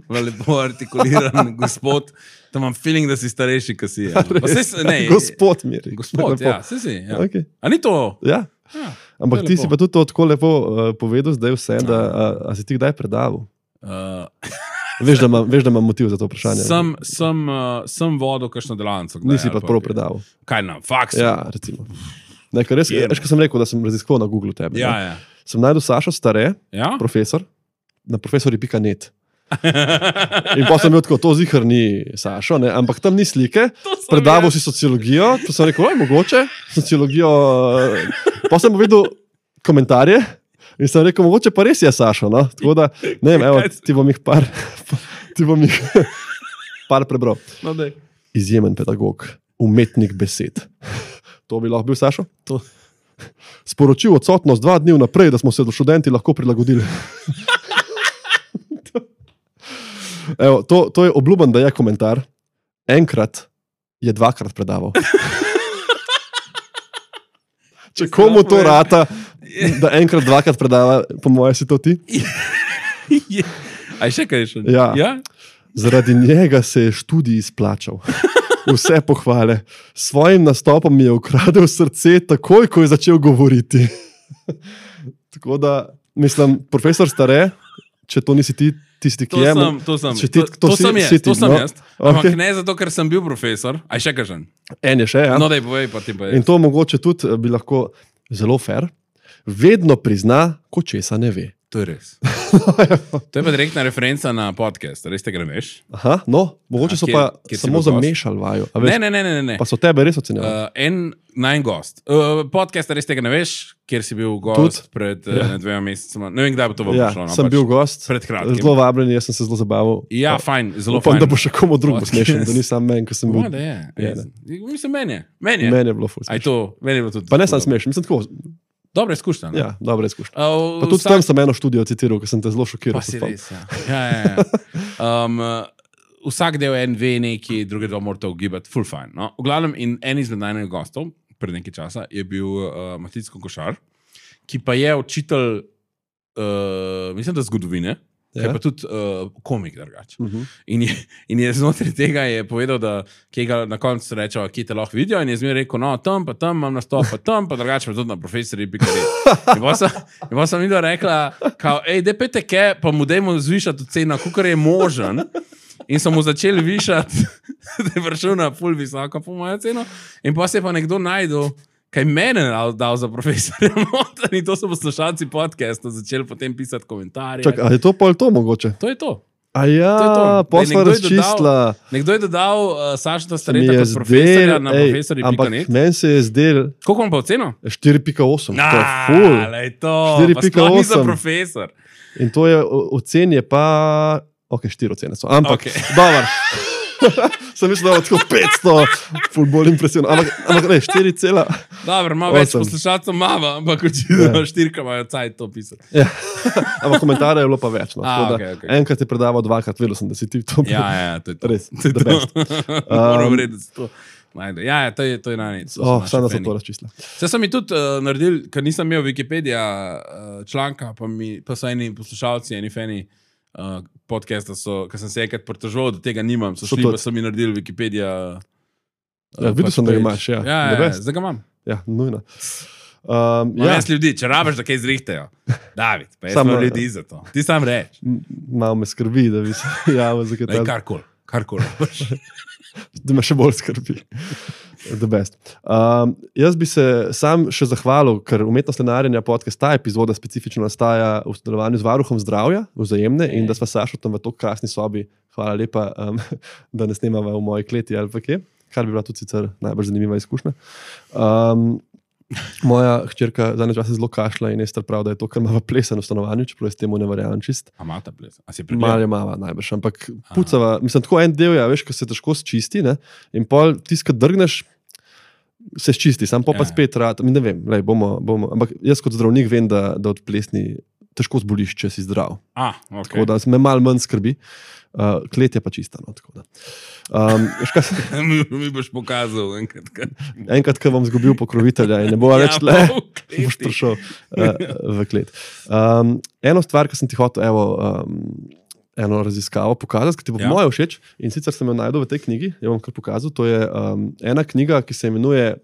lepo artikuliran gospod, da imam feeling, da si starejši, kot si je. Se, ne, gospod Miri. Gospod, ja, se si. Ja. Okay. A ni to? Ja. Ja, ampak ti lepo. Si pa tudi to tako lepo uh, povedal zdaj vse, da a, a si ti kdaj predaval? Uh. Veš, da imam, veš, da imam motiv za to vprašanje. Sem, sem, uh, sem vodil kakšno delavnico. Nisi pa prav predaval. Kaj na faksu? Ja, recimo. Ne, ker res, veš, ko sem rekel, da sem raziskoval na Google tebe. Ja, ja. Sem najdel Sašo Stare, ja? profesor, na profesori pika net. In pa sem bil tako, to zihar ni Sašo, ne? Ampak tam ni slike, predaval si sociologijo, to sem rekel, mogoče, sociologijo, pa sem videl komentarje in sem rekel, mogoče pa res je Sašo, no? Tako da, ne vem, evo, ti bom jih par, ti bom jih par prebral. No, dej. Izjemen pedagog, umetnik besed. To bi lahko bil Sašo? To. Sporočil odsotnost dva dni vnaprej, da smo se do študenti lahko prilagodili. Evo, to, to je obljuben, da je komentar. Enkrat je dvakrat predaval. Če komu to rata, da enkrat dvakrat predava, po mojem si to ti? Aj še kaj še? Ja. Ja? Zaradi njega se je študij izplačal. Vse pohvale. S svojim nastopom mi je ukradel srce takoj, ko je začel govoriti. Tako da, mislim, profesor Stare, če to nisi ti, tisti, ki je... To sem, ti, to, to si, sem jaz, ti, to sem no? jaz. Ampak Okay. ne zato, ker sem bil profesor. Aj še kažem. En je še, ja. No, daj povej, pa ti pa je. In to mogoče tudi bi lahko zelo fair. Vedno prizna, ko česa ne ve. To je res. To je pa direktna referenca na podcast, res tega ne veš? Aha, no, mogoče so kjer, pa kjer samo zamešali vaju. A veš, Ne, ne, ne, ne, ne. pa so tebe res ocenjali. Uh, en najn gost. Uh, podcast, res tega ne veš, kjer si bil gost Tud? pred uh, Ja. dvema mesecema. Ne vem, kdaj bo to Ja, prišlo. No, sem pač bil gost, pred kratkim. zelo vabljen, jaz sem se zelo zabaval. Ja, Pa- fajn, zelo Upam, fajn. da bo še komu drugemu Podcast. smešen, da ni sam meni, ko sem bil. Ja, da je. Ja, Ja, mislim, meni je. Meni je. Meni je bilo ful Aj smešno. to, meni je bilo tudi. Pa ne sam ful dobro. smešen, mislim tako. Dobra izkušnja. ne? Ja, dobra izkušnja. Uh, Pa tudi vsak- tam sem eno študijo citiral, ker sem te zelo šokiral. Pa se si spomnim. res, ja. ja, ja, ja. Um, uh, vsak del en ve neki, drugi del mora to ugibati, full fine. No? V glavnem, in en izmed najmanjih gostov, pred nekaj časa, je bil uh, Matic Kokošar, ki pa je učitelj, uh, mislim, da zgodovine, ja. Ja. Pa tudi uh, komik drugače. Uh -huh. In, je- in je znotraj tega je povedal, da kje ga na koncu rečejo, kje te lahko vidijo. In je zmeraj rekel, no, tam, pa tam imam nastop, pa tam, pa drugače pa tudi na profesorji. In potem sem, in potem sem videl, rekla, kao, ej, de pete ke, pa mu dajmo zvišati ceno, kolikor je možen. In so mu začeli višati, da je prišel na pol visoko, po mojem ceno. In pa se je pa nekdo najdel, kaj mene dal, dal za profesorja. noter. In to so poslušalci podcasta začeli potem pisati komentarje. Čak, a je to pol to mogoče? To je to. A To je to. ja, Daj, posla nekdo je dodal- razčistila. Nekdo je dodal uh, Sašta Mi Stareta je kot profesorja zdel, na ej, profesorji. ampak meni se je zdel Koliko vam pa oceno? štiri pika osem. To je ful. lej to. štiri Pa pika sploh ni za osem. profesor. In to je o- ocen je pa... Ok, štiri ocene so. Ampak, Okej. okay. Dobar. Sem mislil, da je tako petsto, ful bolj impresioniran. Ampak, ampak ne, štiri cela. Dobro, malo več Osem. poslušalcev mava, ampak očitno Ja. štirka imajo cajt to pisati. Ja. Ampak komentarjev je bilo pa več. No. A, Tako da okej, okej. Enkrat je predaval, dvakrat, vedel sem, da si ti to. Ja, ja, to je to. Res, to je the to. best. Moram Um, reči, da se to najde. Ja, ja, to je, to je najnič. Oh, Samo da so to razčistili. Se sem mi tudi uh, naredil, ker nisem imel Wikipedija uh, članka, pa, mi, pa so eni poslušalci, eni fani uh, podcasta, ker sem se enkrat pritoževal, da tega nimam, so So šli tudi. pa so mi naredili Wikipedija. Uh, Ja, videl sem, da ga page. imaš, ja. Ja, The ja, ja, best. zdaj ga imam. Ja, nujno. Um, Ja. ja, Jaz ljudi, če rabiš, da kaj zrihtajo. David, pa jaz Samo- imam ljudi za to. Ti sam reč. m- malo me skrbi, da bi se javil za kaj Daj, takega. karkoli, karkoli. Da me še bolj skrbi. The best. Um, jaz bi se sam še zahvalil, ker umetnost lenarjenja podcast, ta epizoda specifično nastaja v sodelovanju z Varuhom zdravja, vzajemne, in da sva Sašo tam v to krasni sobi, hvala lepa, um, da ne snemava v moji kleti ali pa kje, kar bi bila tudi sicer najbolj zanimiva izkušnja. Um, moja hčerka zadnje čase zelo kašla in je star prav, da je to, kar ima v plesen v stanovanju, čeprav jaz temu ne verjamem čist. A mata ples? A si Malo prebral? je mava najbrž, ampak pucava, mislim, tako en del je, veš, ko se težko sčisti, ne? In pol tisti, ki drgneš, se sčisti, sam pa, Ja. pa spet rad, mi ne vem, lej, bomo, bomo, ampak jaz kot zdravnik vem, da, da od plesni težko zboliš, če si zdrav. A, ok. Tako da me malo manj skrbi, uh, klet je pa čista. No, tako da. Um, veš, kaj, se- mi, mi boš pokazal enkrat. Kaj. enkrat, ko bom zgubil pokrovitelja in ne bo Ja, več le, pa v kleti. boš prišel uh, v klet. Um, eno stvar, ki sem ti hotel, evo, um, eno raziskavo pokazati, ki ti bo Ja. ja. moje všeč, in sicer sem jo najdel v tej knjigi, jo bom kar pokazal. To je um, ena knjiga, ki se imenuje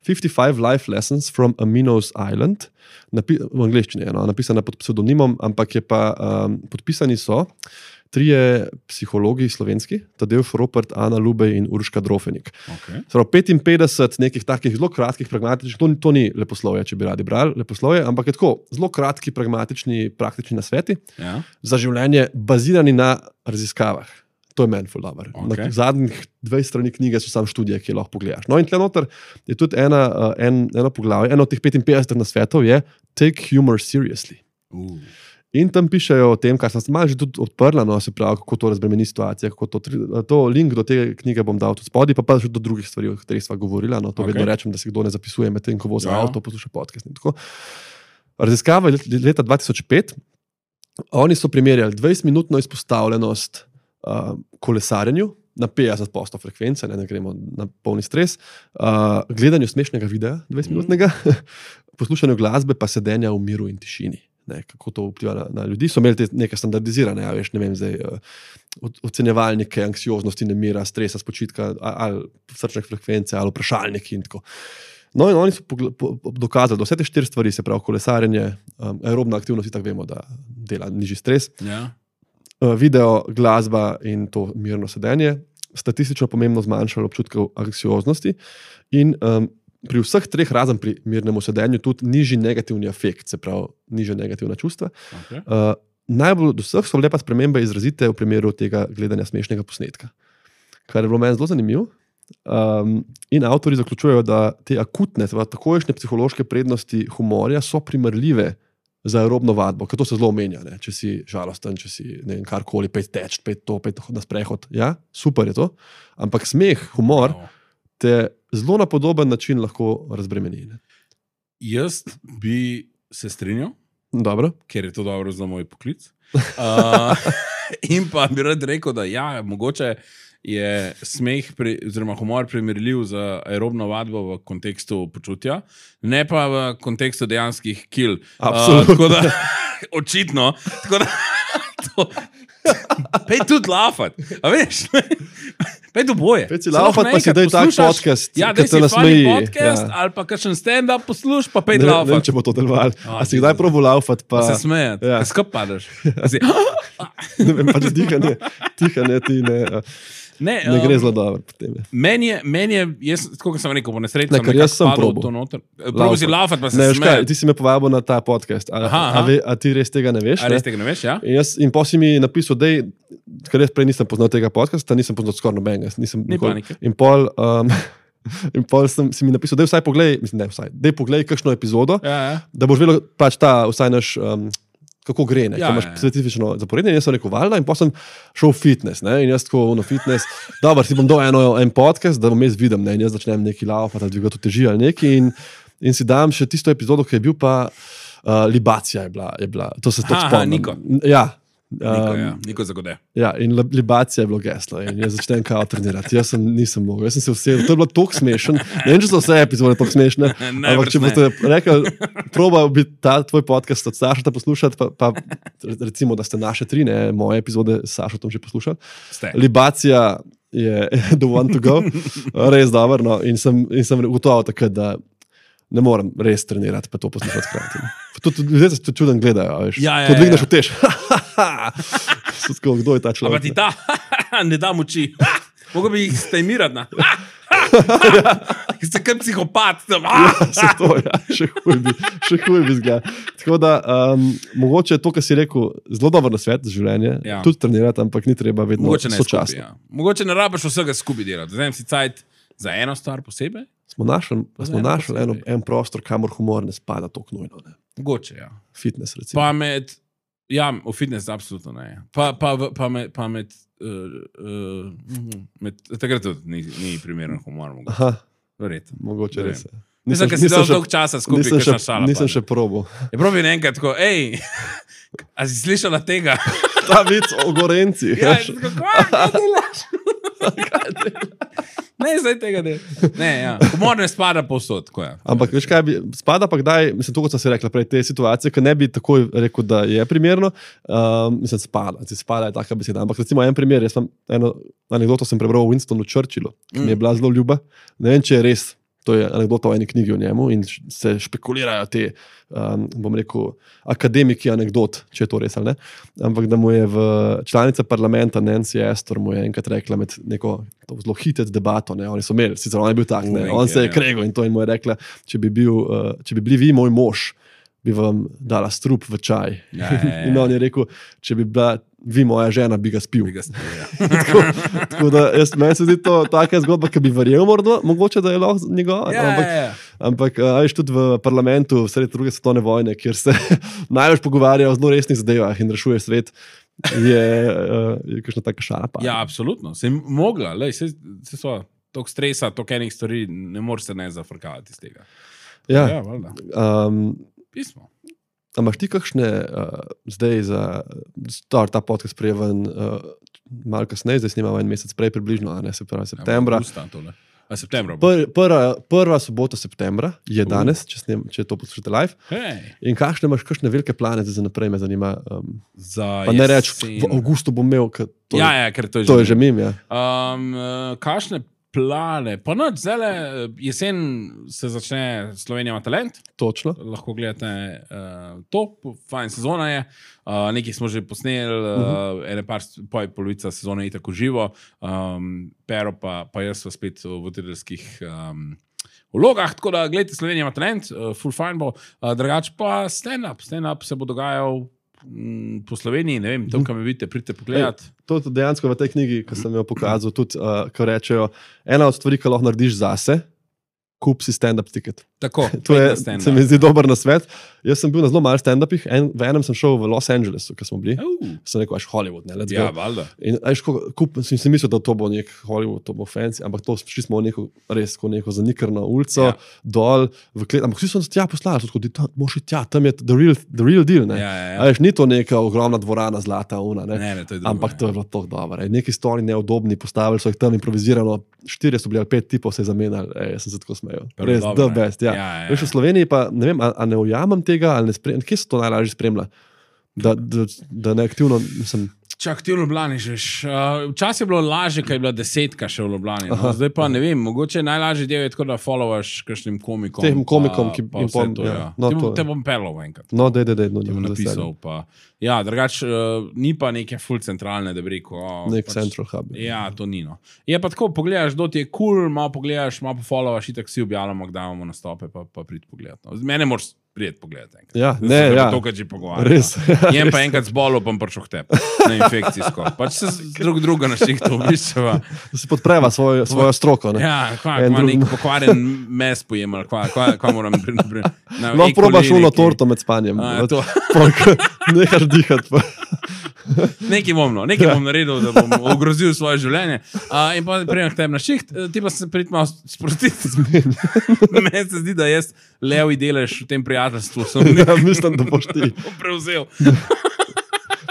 fifty-five Life Lessons from Aminos Island, Napi v angleščini je no, napisana pod pseudonimom, ampak je pa um, podpisani so trije psihologi slovenski, Tadeusz Ropert, Ana Lubej in Urška Drofenik. Okay. Prav, petinpetdeset nekih takih zelo kratkih, pragmatičnih, to, to ni leposlovje, če bi radi brali leposlovje, ampak je tako zelo kratki, pragmatični, praktični nasveti Ja. za življenje, bazirani na raziskavah. To je meni ful dobro. Okej. Na zadnjih dveh strani knjige so samo študije, ki jih lahko pogledaš. No, in tle noter je tudi ena, uh, en, eno poglavje, eno od teh petinpetdeset nasvetov je Take humor seriously. Uh. In tam pišejo o tem, kar sem se malo že tudi odprla, no, se pravi, kako to razbremeni situacijo, kako to, tri- to link do te knjige bom dal tudi spodaj, pa pa še do drugih stvari, o katerih sva govorila. No, to Okej. okay. Vedno rečem, da se kdo ne zapisuje med tem, ko vozi Ja, ja. avto, posluša podcast in tako. Raziskava je let- leta dva tisoč pet. Oni so primerjali dvajsetminutno izpostavljenost uh, kolesarjenju na petdeset odstotkov frekvence, ne, ne gremo na polni stres, uh, gledanju smešnega videa, dvajsetminutnega, poslušanju glasbe, pa sedenja v miru in tišini. Ne, kako to vpliva na, na ljudi. So imeli te neke standardizirane, ja, veš, ne vem, zdaj, uh, ocenjevalnike, anksioznosti, nemira, stresa, spočitka, ali srčne frekvence, ali vprašalniki in tako. No, in oni so dokazali, da vse te štiri stvari, se pravi kolesarjenje, um, aerobna aktivnost, tako vemo, da dela nižji stres, Ja. uh, video, glasba in to mirno sedenje, statistično pomembno zmanjšalo občutkov anksioznosti in um, pri vseh treh, razen pri mirnemu sedenju, tudi nižji negativni afekt, se pravi, nižja negativna čustva. Okay. Uh, najbolj od vseh so bile pa spremembe izrazite v primeru tega gledanja smešnega posnetka, kar je bilo meni zelo zanimivo. Um, in avtori zaključujejo, da te akutne, takojšnje psihološke prednosti humorja so primerljive za aerobno vadbo, ker to se zelo omenja, ne? Če si žalosten, če si ne vem, karkoli, pet teč, pet to, pet na sprehod. Ja, super je to, ampak smeh, humor No. te zelo na podoben način lahko razbremeni. Ne? Jaz bi se strinjal, Dobro. ker je to dobro za moj poklic. Uh, in pa bi rad rekel, da ja, mogoče je smeh, pri, oziroma humor primerljiv z aerobno vadbo v kontekstu počutja, ne pa v kontekstu dejanskih kil. Absolutno. Uh, tako da, očitno, tako da, to, pej tudi lafat, a veš, pej tu boje. Pej si laufat, pa si daj tak podcast, ja, ki daj te si funny nasmeji. podcast, Ja. ali pa kakšen stand-up posluš, pa pej Ne, ne vem, laufat. če bo to delovalo. A, A si kdaj probo laufat, Pa pa se smejati, ja. ja. Skup padeš. A si, ne vem, pač dihanje, dihanje ti ne, ne, ne gre um, zelo dobro potem. Meni je, meni je, jaz, tako kot sem rekel, po nesreči Ne, sem ker nekako jaz sem padel v probal. to noter. Probo si laufat, pa se Ne, veš kaj, smejati. ti si me povabil na ta podcast, a, Aha, a, aha. ve, a ti res tega ne veš? A Ne? res tega ne veš, ja? In, jaz, in pa si mi napisal, da ker jaz prej nisem poznal tega podcasta, nisem poznal skoraj nobenega. Nisem Ni nikoli- panike. In pol, um, in pol sem si mi napisal, da vsaj poglej, mislim, ne vsaj, da poglej kakšno epizodo, Ja, ja. da boš vedel pač ta vsaj naš, um, kako gre, ne, Ja, ja, imaš ja, ja. specifično zaporedje. In jaz sem rekel, valjda, in pa sem šel v fitness, ne, in jaz tako ono fitness, dobro, si bom dal eno, en podcast, da bom jaz videl, ne, in jaz začnem neki laufati ali dvigati teži ali neki in, in si dam še tisto epizodo, ki je bil pa uh, libacija je bila, je bila, to se tako Aha, spomnim. Niko. Ja. Niko, Um, ja. Niko zagode. Ja, in li- libacija je bilo geslo in jaz začnem kao trenirati. Jaz sem, nisem mogel, jaz sem se vsedel, to je bilo tako smešno. Ne vem, če so vse epizode tako smešne, ampak če ne. boste rekli, probal bi ta tvoj podcast od Sašota poslušati, pa, pa recimo, da ste naše tri, ne, moje epizode s Sašotom že poslušali. Ste. Libacija je the one to go, res dobro, no, in sem, in sem ugotovil takrat, da ne morem res trenirati, pa to poslušati hkrati. Tudi ljudje se tudi čuden gledajo, a veš. Ja, ja, Ko dvigneš ja. v tež. So tako, kdo je ta človek? Ampak ti ta, ne da moči. Mogo bi jih stejmirati na. Ki ste kot psihopat. Tam. Se to, ja, še huj bi, še huj bi zgleda. Tako da, um, mogoče je to, kar si rekel, zelo dober nasvet za življenje, Ja. tudi trenirati, ampak ni treba vedno Mogoče ne skupaj. sočasno. Ja. Mogoče ne rabiš vsega skupaj delati. Zdaj si cajt za eno stvar posebej. Smo našli, smo eno našli eno, posebej. en prostor, kamor humor ne spada tako nujno. Ne. Mogoče, ja. Fitness, recimo. Pa med, ja, v fitness absolutno ne. Pa, pa, v- pa med, pa med, uh, uh, med takrat tudi ni, ni primeren humor. mogoče. Aha, Verjetno. mogoče Ne res. vem. je. Mislim, ker si dal dolg časa skupaj, nisem kakšna še, šala nisem pade. še probal. Je pravi enkrat tako, hej, a si slišala tega? Ta vic o gorencih. Ja, veš. in tako, "Kva, kaj delaš?" Ne, zdaj tega ne. Ne, ja. Humor ne spada povsod, tako je. Ampak veš kaj, bi, spada pa kdaj, mislim, to, kot sem si rekla prej, te situacije, ki ne bi takoj rekel, da je primerno, um, mislim, spada, ti spada je taka beseda. Ampak recimo en primer, jaz sem eno anekdoto sem prebral o Winstonu Churchillu, ki mi je bila zelo ljuba. Ne vem, če je res, to je anekdota o eni knjigi o njemu in š- se špekulirajo te, um, bom rekel, akademiki anekdot, če je to res ali ne. Ampak da mu je v članica parlamenta Nancy Astor mu je enkrat rekla med neko to zelo hitec debato, ne, oni so imeli, sicer on je bil tak, ne, Uh, on se je ja. kregal in to in mu je rekla, če bi, bil, uh, če bi bili vi moj mož, bi vam dala strup v čaj. Ja, ja, ja. In on je rekel, če bi bila vi moja žena, bi ga spil. Bi ga spil, ja. tako, tako da jaz, meni se zdi to taka zgodba, ki bi verjel morda, mogoče, da je lahko njegova. Ja, ampak, ja, ja. ampak a veš, tudi v parlamentu sredi druge svetovne vojne, kjer se največ pogovarjajo o zelo resnih zadevah in rešuje svet, je, uh, je kakšna taka šala. Pa. Ja, absolutno. Se je mogla, lej, se, se so toliko stresa, toliko enih stvari, ne moreš se ne zafrkavati iz tega. Ja. Ja, valjda. Um, Pismo. A imaš ti kakšne, uh, zdaj za star, ta podcast prijeven, uh, malo kasneje, zdaj snimamo en mesec prej približno, a ne, se pravi septembra. Ja, septembra Pr, prva, prva sobota septembra je danes, uh. če, snem, če to poslušate live. Hey. In kakšne imaš, kakšne velike plane za naprej, me zanima. Um, za pa ne reč, v avgustu bom imel, ker to, ja, ja, ker to je to že, je že mim. Ja. Um, kakšne plane? Pa noč, zdaj jesen se začne Slovenija ima talent. Točno. Lahko gledate uh, to, fajn sezona je. Uh, nekaj smo že posneli, uh, uh-huh. ene par, poj polovica sezone je tako živo, um, Pero pa, pa jaz sva spet v voditeljskih um, vlogah, tako da gledajte, Slovenija ima talent, uh, full fine bo, uh, drugače pa stand-up, stand-up se bo dogajal m, po Sloveniji, ne vem, tam, kam me vidite, pridite pogledat. Ej, to je dejansko v tej knjigi, ki sem jo pokazal, tudi, uh, ko rečejo, ena od stvari, ki lahko narediš zase, kup si stand-up ticket. Tako, to je, se mi zdi dober nasvet. Jaz sem bil na zelo malo stand-upih, en, v enem sem šel v Los Angelesu, ker smo bili. Uh. Sem rekel, až Hollywood, ne, let's go. Ja, valjda. In až kup, sem si mislil, da to bo nek Hollywood, to bo fancy, ampak to šli smo v neko, res, ko neko zanikrno ulico, ja. Dol, v klet, ampak vsi so se tja poslali, so tako, moš iti tja, tam je the real, the real deal, ne. Ja, ja, ja. Až ni to neka ogromna dvorana, zlata, una, ne. Ne, ne, to je drugo, ampak to je bilo tako dobro. Neki stoli neudobni, postavili so jih tam improvizirano, štirje so bili ali pet tipov se je zamenjali, ej, jaz sem se tako smejal. Res, the best, ja. Ja, ja, ja. Veš, v Sloveniji pa, ne vem, a, a ne ujamem tega, ali ne spremljam, kje se to najlažje spremlja? Da, da, da ne aktivno, mislim... Čak, ti v Ljubljani žeš. Uh, včasih je bilo lažje, kaj je bila desetka še v Ljubljani. No? Zdaj pa ne vem, mogoče najlažje del je tako, da followaš kakšnim komikom. Tem komikom, pa, ki pa pom, to, ja. Ja. No, te, to, te bom pelov enkrat. No, dej, dej, dej. No, ti bom napisal. Pa. Ja, drugač, uh, ni pa neke full centralne, da bi rekel. Oh, nek pač, central hub. Ja, to ni no. Je pa tako, pogledaš, do ti je cool, malo pogledaš, malo pofollowaš, itak si objavljamo, kdaj imamo nastope, pa, pa prid pogledat. No. Mene moraš prijeti pogledati. Ja, ne, ja. To, kar že pogovarjam. Res. Jem pa enkrat z bolo, pa prišel k tebi. Na infekcijsko. Pač se drug druga na šihtu obiščeva. Da si podpreva svoj, svojo stroko. Ne? Ja, kva, kva drug... nek pokvarjen mes pojem, ali kva, kva, kva moram pri... Lahko probaš uno torto med spanjem. A, to. Nehaš dihati. Nekaj bom, no. Nekaj bom naredil, da bom ogrozil svoje življenje. Uh, in pa prijem k tebi na šiht, ti pa se prid malo sprostiti. Meni se zdi, da jaz levi delež v tem prijateljstvu sem ja, mislim, da boš ti prevzel.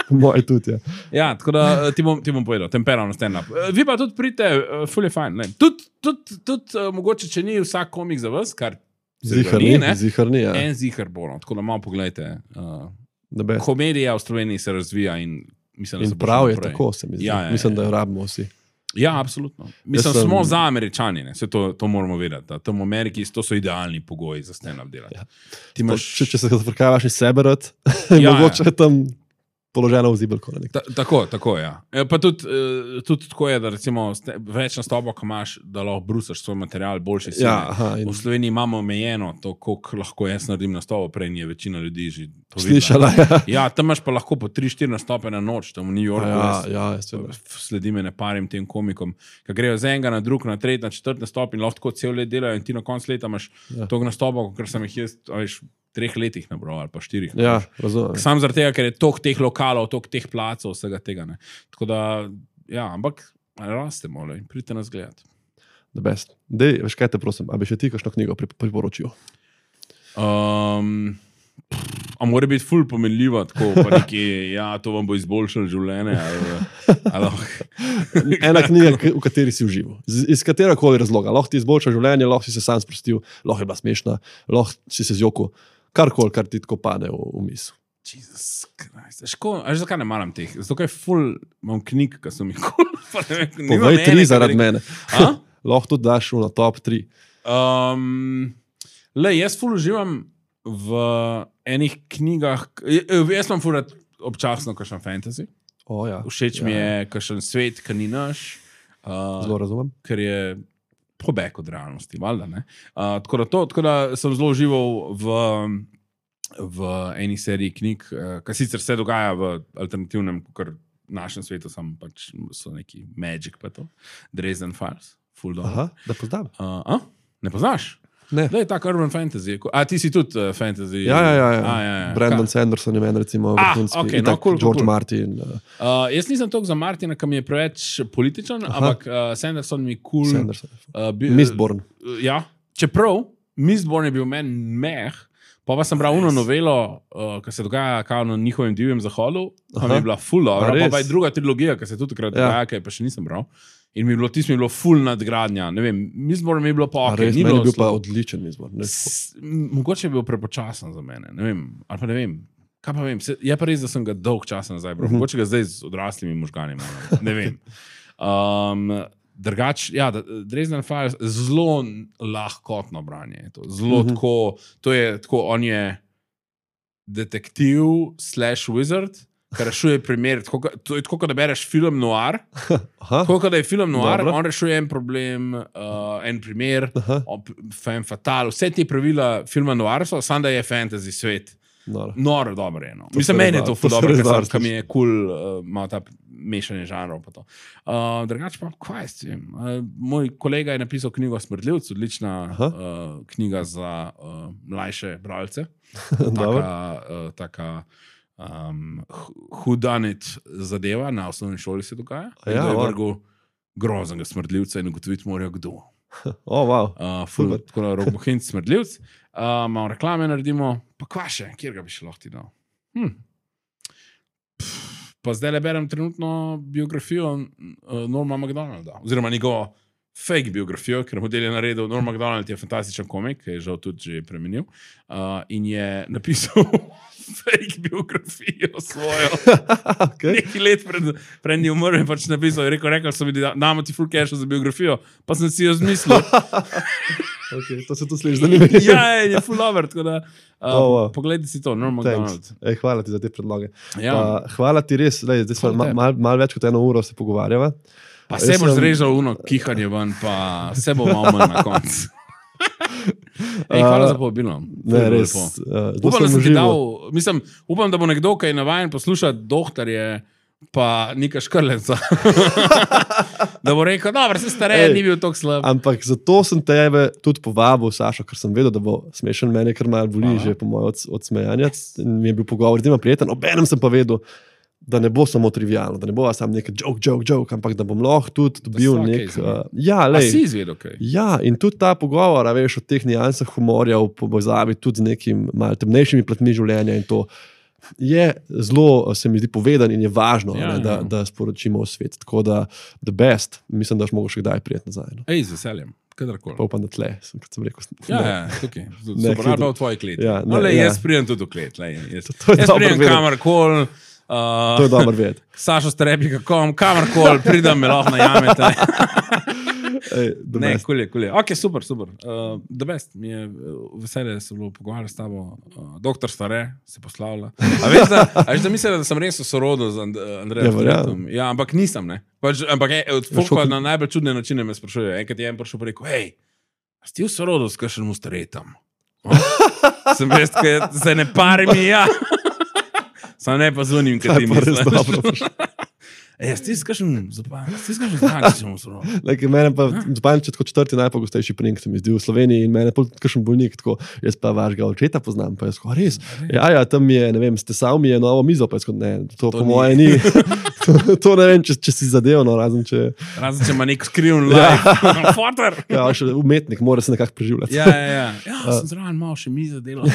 Moj tudi, ja. Ja, tako da ti bom, ti bom povedal, temperal na stand-up. Vi pa tudi pridite, uh, fully fine. Tudi, tudi, tudi uh, mogoče, če ni vsak komik za vas, kar zihar ni, zihar ni, ja. En zihar bo, no. Tako da malo pogledajte. Uh, komedija v Sloveniji se razvija in mislim, da in se prav je naprej. Tako, se mi zdi. Ja, ja, mislim, da ja. jo rabimo vsi. Ja, absolutno. Mislim, sem... smo za Američani, ne? Se to, to moramo vedeti. Da. Tam v Ameriki to so idealni pogoji za stand-up delati. Ja. Imaš... Če, če se zafrkavaš iz sebe rad, ja, mogoče ja. tam položena v zibelko. Ta, tako, tako, ja. E, pa tudi, uh, tudi tako je, da recimo ste, več nastopov, ko imaš, da lahko brusaš svoj material, boljše si. Ja, aha, in... V Sloveniji imamo omejeno to, koliko lahko jaz naredim nastopov, prej je večina ljudi že to slišala. Ja. Ja, tam imaš pa lahko po tri štiri nastope na noč, tam v New Yorku. Ja, jaz, ja, sledim ne parim tem komikom, ki grejo z enega na drug, na tretji, na četrti nastop in lahko tako cel let delajo in ti na koncu leta imaš ja. Tog nastopov, ker sem jih jaz, veš, treh letih nabral ali pa štirih. Ja, razumem. Sam zaradi tega, ker je toliko teh lokalov, toliko teh placov, vsega tega. Ne. Tako da, ja, ampak rastemo, le, pridite nas gledati. The best. Dej, veš kaj te prosim, a bi še ti kakšno knjigo priporočil? Um, a mora biti ful pomenljiva, tako pa neki, ja, to vam bo izboljšalo življenje. Ali, ali... Ena knjiga, v kateri si užival. Z, iz katerega koli razloga. Lahko ti izboljša življenje, lahko si se sam sprostil, lahko je bila smešna, lahko si se zjokal. Karkoli, kar ti tako pade v, v misel. Jesus Christ. Ško, a že zakaj ne maram teh? Zato kaj ful imam knjig, ki so mi kul. Povej tri zaradi mene. Lahko tudi daš na top tri. Um, le, jaz ful uživam v enih knjigah, jaz imam ful občasno kakšen fantasy. Oh, ja. Všeč ja. mi je kakšen svet, ki ni naš. Uh, zelo razumem. Ker je pobeg od realnosti, valjda, ne? Uh, tako, da to, tako da sem zelo užival v, v eni seriji knjig, uh, ki sicer se dogaja v alternativnem, kar našem svetu, sam pač so neki Magic pa to. Dresden Files. Full dog. Aha, da poznam. Uh, a? Ne poznaš? Ne. Da je tak urban fantasy. A ti si tudi uh, fantasy? Ja, ja, ja. ja. A, ja, ja. Brandon Ka? Sanderson je meni recimo vrhunski. Ah, okay, no, cool, George cool. Martin. Uh. Uh, jaz nisem toliko za Martina, ki mi je preveč političen, Aha. ampak uh, Sanderson mi je cool. Sanderson. Uh, bi, Mistborn. Uh, ja, čeprav Mistborn je bil meni meh, Pa pa sem bral uno novelo, uh, ki se dogaja kao na njihovem divjem zahodu, pa mi je bila ful dobra. Pa pa je druga trilogija, ki se tudi takrat dogaja, ja. Ki pa še nisem bral. In mi je bilo, tisto mi je bilo ful nadgradnja. Ne vem, Mizbor mi je bilo pa ok. Meni je bil pa odličen Mizbor. Mogoče je bil prepočasen za mene, ne vem, ali pa ne vem. Kaj pa vem, je pa res, da sem ga dolg časa nazaj bral. Mogoče ga zdaj z odraslimi možgani, ne vem. Um, Drugač, ja, Dresden Files, zelo lahkotno branje. To, zelo uh-huh. tako, to je tako, on je detektiv slash wizard, ki rešuje primer, tako, to je tako, da bereš film noir, tako, da je film noir, Dobro. On rešuje en problem, uh, en primer, femme fatale, vse te pravila filma noir so, samo da je fantasy svet. Noro, Noro dobro je. No. Mislim, meni je to ful dobro, ker sem, mi je kul, cool, uh, malo ta mešanje žanrov pa to. Uh, drugače pa, kaj s tem? Uh, moj kolega je napisal knjigo Smrdljivc, odlična uh, knjiga za uh, mlajše bralce. taka uh, taka um, whodunit zadeva, na osnovni šoli se dogaja. Ja, je vrgel groznega smrdljivca in ugotoviti morajo kdo. Oh, wow. uh, ful, tako da Robohinc Smrdljivc. Uh, malo reklame naredimo, pa kva še, kjer ga bi še lahko ti dal? Hm. Pa zdaj le berem trenutno biografijo uh, Norma MacDonalda, oziroma njegovo fake biografijo, ker model je naredil. Norm MacDonald je fantastičen komik, ki je žal tudi že premenil, uh, in je napisal fake biografijo svojo. Okay. Nekaj let pred, pred njim umrl in pač napisal, je rekel, rekel so mi, da damo ti full cash za biografijo, pa sem si jo zmislil. Okay, to se tu sliši zanimivo. Ja, je full over, tako da uh, oh, wow. Pogledaj si to, Norm MacDonald. Ej, hvala ti za te predloge. Ja. Uh, hvala ti res, lej, zdaj smo mal, mal, mal več kot eno uro se pogovarjava. Pa se boš sem... zrežal uno kihanje ven, pa se bo malo manj na koncu. Ej, hvala uh, za povabilo. Ne, res. Uh, upam, da sem ti dal, mislim, upam, da bo nekdo, ki je navajen poslušati doktorje, pa Nika Škrlenca. Da bo rekel, dobro, se stareje, ni bil toliko slab. Ampak zato sem tebe tudi povabil, Sašo, ker sem vedel, da bo smešen, mene kar malo boli že po moje od, odsmejanja. Mi je bil pogovor, da ima prijeten. Obenem sem pa vedel, da ne bo samo trivialno, da ne bo samo nekaj joke, joke, joke, ampak da bom lahko tudi dobil nek... Uh, ja, lej. A si izvedel kaj? Ja, in tudi ta pogovor, a veš, o teh nijansah humorja v povezavi tudi z nekim malo temnejšimi platmi življenja in to je zelo, se mi zdi, povedan in je važno, ja, ne, da, ja. da sporočimo v svet. Tako da, the best, mislim, da boš mogel še kdaj prijeti nazaj. No. Ej, z veseljem, kadarkoli. Pa upam, da tle, sem, kot sem rekel. Ja, ja, tukaj. Super, ali pa v tvoji kleti. Ja, ne, no, le, ja. jaz prijem tudi v klet. Le, jaz to, to jaz prijem kamarkoli. Uh, to je dobro vedeti. Sašo Sterepi, kakom, kamarkoli, pridem me lahko najamete. Ej, ne, kulje, kulje. Ok, super, super. Uh, the best. Mi je veselje, da se bilo pogovarjati s tabo. Uh, doktor Stare se poslavlja. A veš, da, a veš, da mislim, da sem res v sorodu z And Andrejem Fletom. Ja, ampak nisem, ne. Pač, ampak je, od folk na najbolj čudne načine me sprašuje. Enkrat je en prišel pa rekel, hej, a si ti v sorodu s kakšnim Staretom? Sem veš, da se ne pari mi, ja. Sam ne pa zvonim, kaj ti misliš. Ej, ti si kakšen Zupančič v sorodu? Mene pa Zupančič kot četrti najpogostejši pring se mi zdi v Sloveniji in mene pa kakšen bolnik, tako jaz pa vašega očeta poznam, pa jaz ko, res, ja, ja, tam mi je, ne vem, stesal mi je novo mizo, pa jaz kot, ne, to, to po ni. Moje ni. to, to ne vem, če, če si zadev, no, razen če... Razen če ima nek skriven life. Fotor! Ja, še umetnik, mora se nekako preživljati. Ja, ja, ja. Ja, sem zraven malo še mizo delal.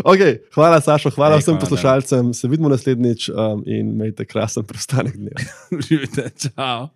Ok, hvala Sašo, hvala Ej, vsem hvala, poslušalcem, da. Se vidimo naslednjič um, in imejte krasen preostanek dneva. Živite, čau.